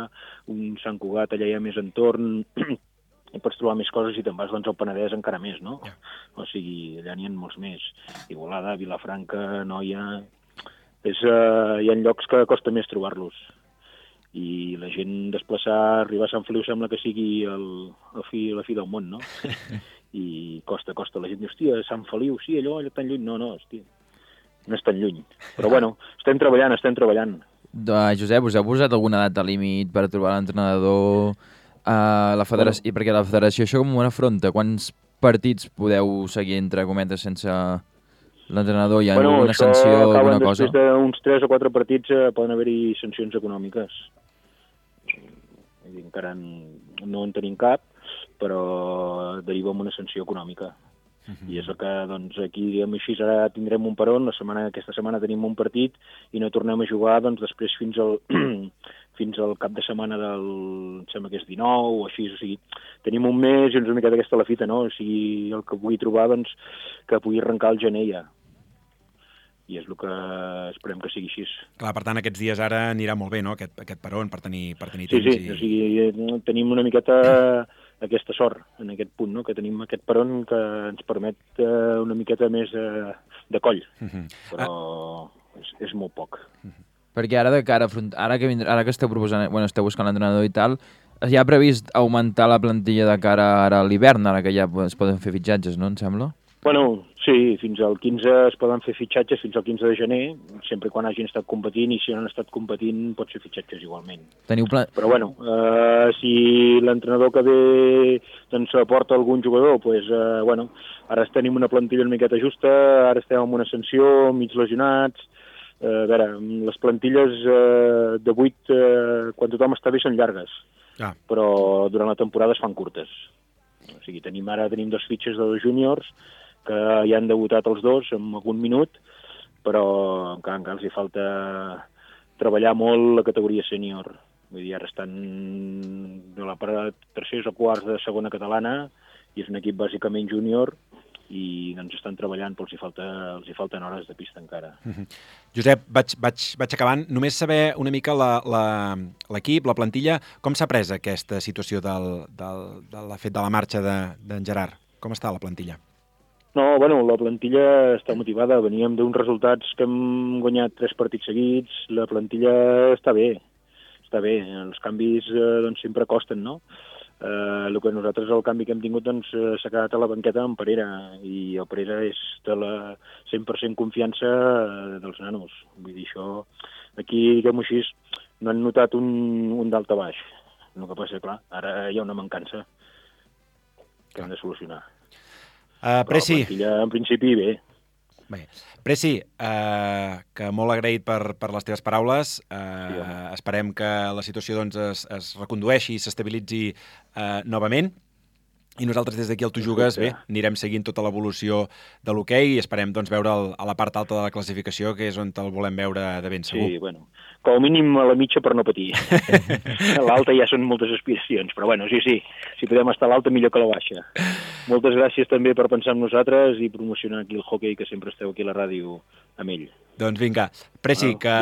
un Sant Cugat, allà hi ha més entorn, i pots trobar més coses, i te'n vas doncs, al Penedès encara més, no? O sigui, allà n'hi ha molts més. Igualada, Vilafranca, Noia... Hi ha llocs que costa més trobar-los. I la gent desplaçar, arribar a Sant Feliu sembla que sigui la fi del món, no? I costa. La gent diu, hòstia, Sant Feliu, sí, allò tan lluny. No, hòstia, no és tan lluny. Però bueno, estem treballant. Josep, us heu posat alguna data límit per trobar l'entrenador a la federació? I perquè la federació això com ho afronta? Quants partits podeu seguir, entre cometes, sense l'entrenador? Hi ha alguna sanció, alguna cosa? Després d'uns 3 o 4 partits poden haver-hi sancions econòmiques. Encara no en tenim cap, però deriva en una sanció econòmica. I és el que, doncs, aquí, diguem així, ara tindrem un peron, aquesta setmana tenim un partit i no tornem a jugar, doncs, després fins al cap de setmana em sembla que és 19 o així, o sigui, tenim un mes i una miqueta aquesta la fita, no? O sigui, el que pugui trobar, doncs, que pugui arrencar el gener ja. I és el que esperem que sigui així. Clar, per tant, aquests dies ara anirà molt bé, no?, aquest peron, per tenir temps. Sí, o sigui, tenim una miqueta aquesta sort en aquest punt, no?, que tenim aquest peron que ens permet una miqueta més de coll, però és molt poc. Perquè ara que esteu proposant, esteu buscant l'entrenador i tal, ja ha previst augmentar la plantilla de cara ara a l'hivern, ara que ja es poden fer fitxatges, no, em sembla? Bueno, sí, fins al 15 es poden fer fitxatges, fins al 15 de gener, sempre quan hagin estat competint, i si no han estat competint pots fer fitxatges igualment. Però bueno, si l'entrenador que ve doncs aporta algun jugador, doncs, bueno, ara tenim una plantilla una miqueta justa, ara estem amb una sanció, mig lesionats. A veure, les plantilles de 8, quan tothom està bé, són llargues, però durant la temporada es fan curtes. O sigui, tenim 2 fitxes de 2 júniors, que ja han debutat els 2 en algun minut, però encara els hi falta treballar molt la categoria sènior. Vull dir, ara estan de la part tercers o quarts de segona catalana, i és un equip bàsicament júnior, i doncs estan treballant, però els hi falten hores de pista encara. Josep, vaig acabant. Només saber una mica l'equip, la plantilla, com s'ha pres aquesta situació del fet de la marxa d'en Gerard? Com està la plantilla? No, bueno, la plantilla està motivada. Veníem d'uns resultats que hem guanyat 3 partits seguits. La plantilla està bé. Els canvis doncs, sempre costen, no? El que nosaltres, el canvi que hem tingut, doncs, s'ha quedat a la banqueta amb Parera, i el Parera és de la 100% confiança dels nanos. Vull dir, això, aquí, diguem-ho així, no han notat un dalt a baix. El que passa, clar, ara hi ha una mancança que hem de solucionar. Preci. Però la plantilla, en principi, bé. Preci, que molt agraït per les teves paraules. Esperem que la situació doncs, es recondueixi i s'estabilitzi novament. I nosaltres des d'aquí al Tu Jugues, bé, anirem seguint tota l'evolució de l'hoquei i esperem doncs, veure'l a la part alta de la classificació, que és on el volem veure de ben segur. Sí, bueno, com a mínim a la mitja per no patir. A l'alta ja són moltes aspiracions, però bueno, sí, si podem estar a l'alta millor que a la baixa. Moltes gràcies també per pensar en nosaltres i promocionar aquí el hoquei, que sempre esteu aquí a la ràdio amb ell. Doncs vinga, Preci, que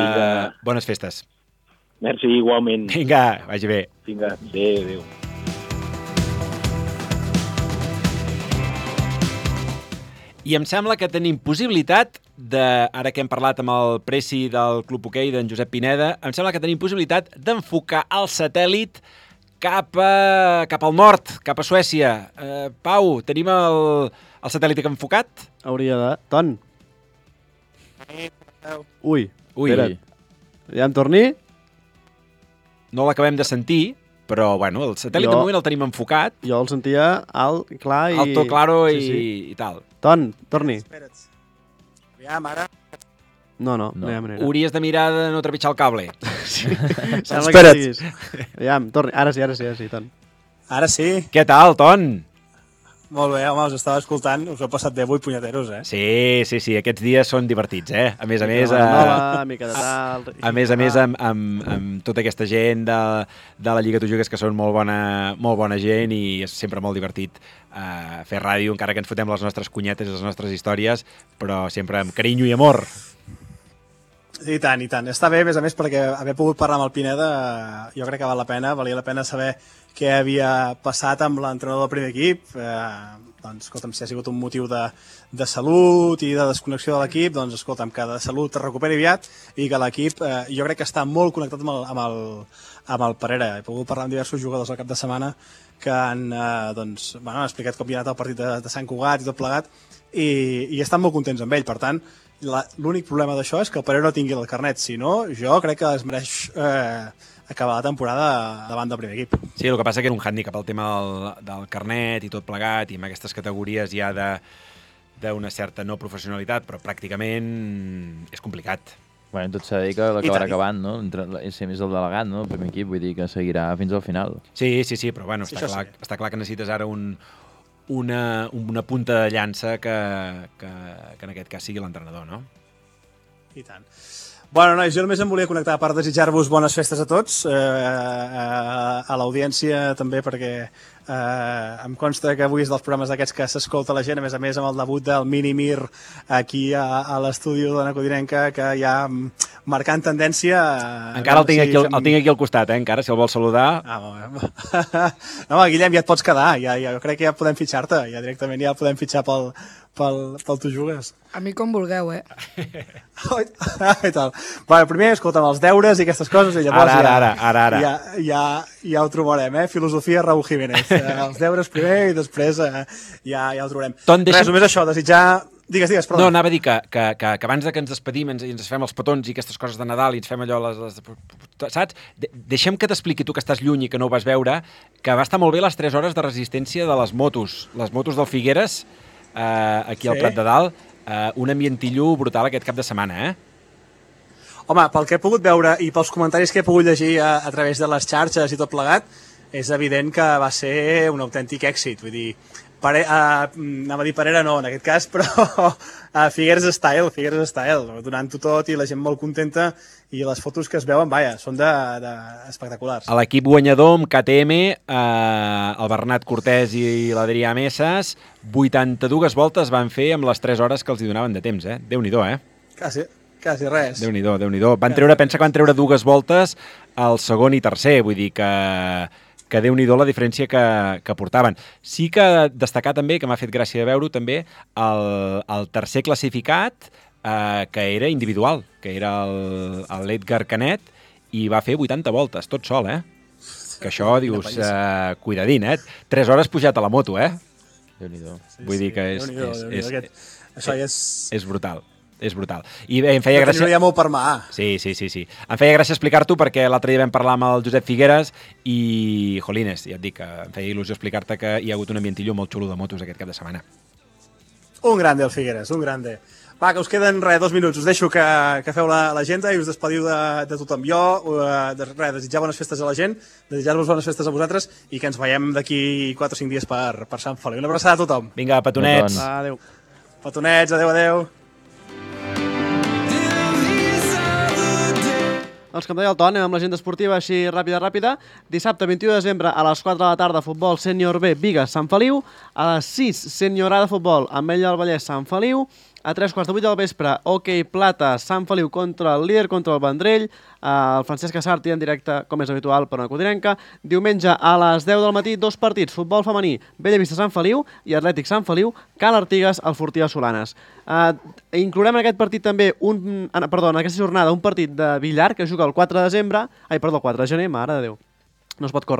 bones festes. Merci, igualment. Vinga, vagi bé. Vinga, adéu. I em sembla que tenim possibilitat ara que hem parlat amb el Preci del Club Hoquei, d'en Josep Pineda, em sembla que tenim possibilitat d'enfocar el satèl·lit cap al nord, cap a Suècia. Pau, tenim el satèl·lit enfocat? Hauria de... Ton? Ui. Espera't. Ja em torni? No l'acabem de sentir, però bueno, el satèl·lit de moment el tenim enfocat. Jo el sentia alt, clar i... Alto, claro i tal. Ton, torni. Espera't. Aviam, ara... No hi ha manera. Hauries de mirar de no trepitjar el cable. Sí. Espera't. Aviam, torni. Ara sí, Ton. Ara sí. Què tal, Ton? Molt bé, home, us estava escoltant, us heu passat bé avui, punyeteros, eh? Sí, aquests dies són divertits, eh? A més, mica de tal... A més, amb tota aquesta gent de la Lliga Tu Jugues, que són molt bona gent, i és sempre molt divertit fer ràdio, encara que ens fotem les nostres cunyetes i les nostres històries, però sempre amb carinyo i amor. I tant, i tant. Està bé, a més, perquè haver pogut parlar amb el Pineda jo crec que valia la pena saber què havia passat amb l'entrenador del primer equip. Doncs, escolta'm, si ha sigut un motiu de salut i de desconnexió de l'equip, doncs, escolta'm, que de salut es recuperi aviat i que l'equip, jo crec que està molt connectat amb el Parera. He pogut parlar amb diversos jugadors al cap de setmana que han explicat com havia anat el partit de Sant Cugat i tot plegat, i estan molt contents amb ell. Per tant, l'únic problema d'això és que el Parera no tingui el carnet. Si no, jo crec que es mereix acabar la temporada davant del primer equip. Sí, el que passa que era un hàndicap el tema del carnet i tot plegat, i amb aquestes categories ja d'una certa no professionalitat, però pràcticament és complicat. Bueno, tot s'ha de dir que l'acabarà acabant, no? És el delegat, no? El primer equip, vull dir que seguirà fins al final. Sí, però bueno, està clar que necessites ara una punta de llança que en aquest cas sigui l'entrenador, no? I tant. Bueno, nois, jo només em volia connectar per desitjar-vos bones festes a tots, a l'audiència també, perquè em consta que avui és dels programes d'aquests que s'escolta la gent, a més amb el debut del Mini Mir aquí a l'estudi de Codinenca, que ja marcant tendència... Encara el tinc aquí al costat, encara, si el vols saludar. No, Guillem, ja et pots quedar, jo crec que ja podem fitxar-te, ja directament ja podem fitxar pel Tu Jugues. A mi com vulgueu, eh? I tal. Bueno, primer, escolta'm, els deures i aquestes coses, i llavors ara. Ja ho trobarem, eh? Filosofia Raúl Jiménez. Els deures primer i després ja ho trobarem. Res, només això, desitjar... Digues, perdó. No, anava a dir que abans que ens despedim i ens fem els petons i aquestes coses de Nadal i ens fem allò, saps? Deixem que t'expliqui tu, que estàs lluny i que no ho vas veure, que va estar molt bé les 3 hores de resistència de les motos del Figueres, aquí al Prat de Dalt, un ambientillo brutal aquest cap de setmana, Home, pel que he pogut veure i pels comentaris que he pogut llegir a través de les xarxes i tot plegat, és evident que va ser un autèntic èxit, vull dir, anava a dir Parera no, en aquest cas, però Figueres Style, donant-ho tot i la gent molt contenta, i les fotos que es veuen, són espectaculars. A l'equip guanyador amb KTM, el Bernat Cortés i l'Adrià Messes, 82 voltes van fer amb les 3 hores que els hi donaven de temps, Déu-n'hi-do, Quasi res. Déu-n'hi-do. Pensa que van treure 2 voltes al segon i tercer, vull dir que Déu-n'hi-do la diferència que portaven. Sí que destacar també, que m'ha fet gràcia de veure-ho també, el tercer classificat, que era individual, que era l'Edgar Canet, i va fer 80 voltes, tot sol, Que això, dius, cuidadín, 3 hores pujat a la moto, Déu-n'hi-do. Vull dir que això ja és brutal. És brutal. I bé, em feia gràcia... No hi ha molt per mà. Sí. Em feia gràcia explicar-t'ho perquè l'altre dia vam parlar amb el Josep Figueres i, jolines, ja et dic que em feia il·lusió explicar-te que hi ha hagut un ambientillo molt xulo de motos aquest cap de setmana. Un grande, el Figueres, un grande. Va, que us queden 2 minuts. Us deixo que feu l'agenda i us despediu de tothom. Jo, desitjar bones festes a la gent, desitjar-vos bones festes a vosaltres i que ens veiem d'aquí 4 o 5 dies per Sant Feliu. Una abraçada a tothom. Vinga, petonets. Adéu. Petonets, adéu. Doncs com deia el Ton, amb l'agenda esportiva així ràpida. Dissabte 21 de desembre a les 4 de la tarda, futbol sènior B, Bigues, Sant Feliu. A les 6, sènior A de futbol, Ametlla del Vallès, Sant Feliu. A 3:15 del vespre, hoquei plata, Sant Feliu contra el líder, contra el Vendrell. El Francesc Assarti en directe, com és habitual, per una Codinenca. Diumenge a les 10 del matí, 2 partits. Futbol femení, Bellavista Sant Feliu i Atlètic Sant Feliu, Cal Artigas, el Fortí de Solanes. Inclourem en aquest partit també, en aquesta jornada, un partit de billar que juga el 4 de gener, mare de Déu. No es pot córrer.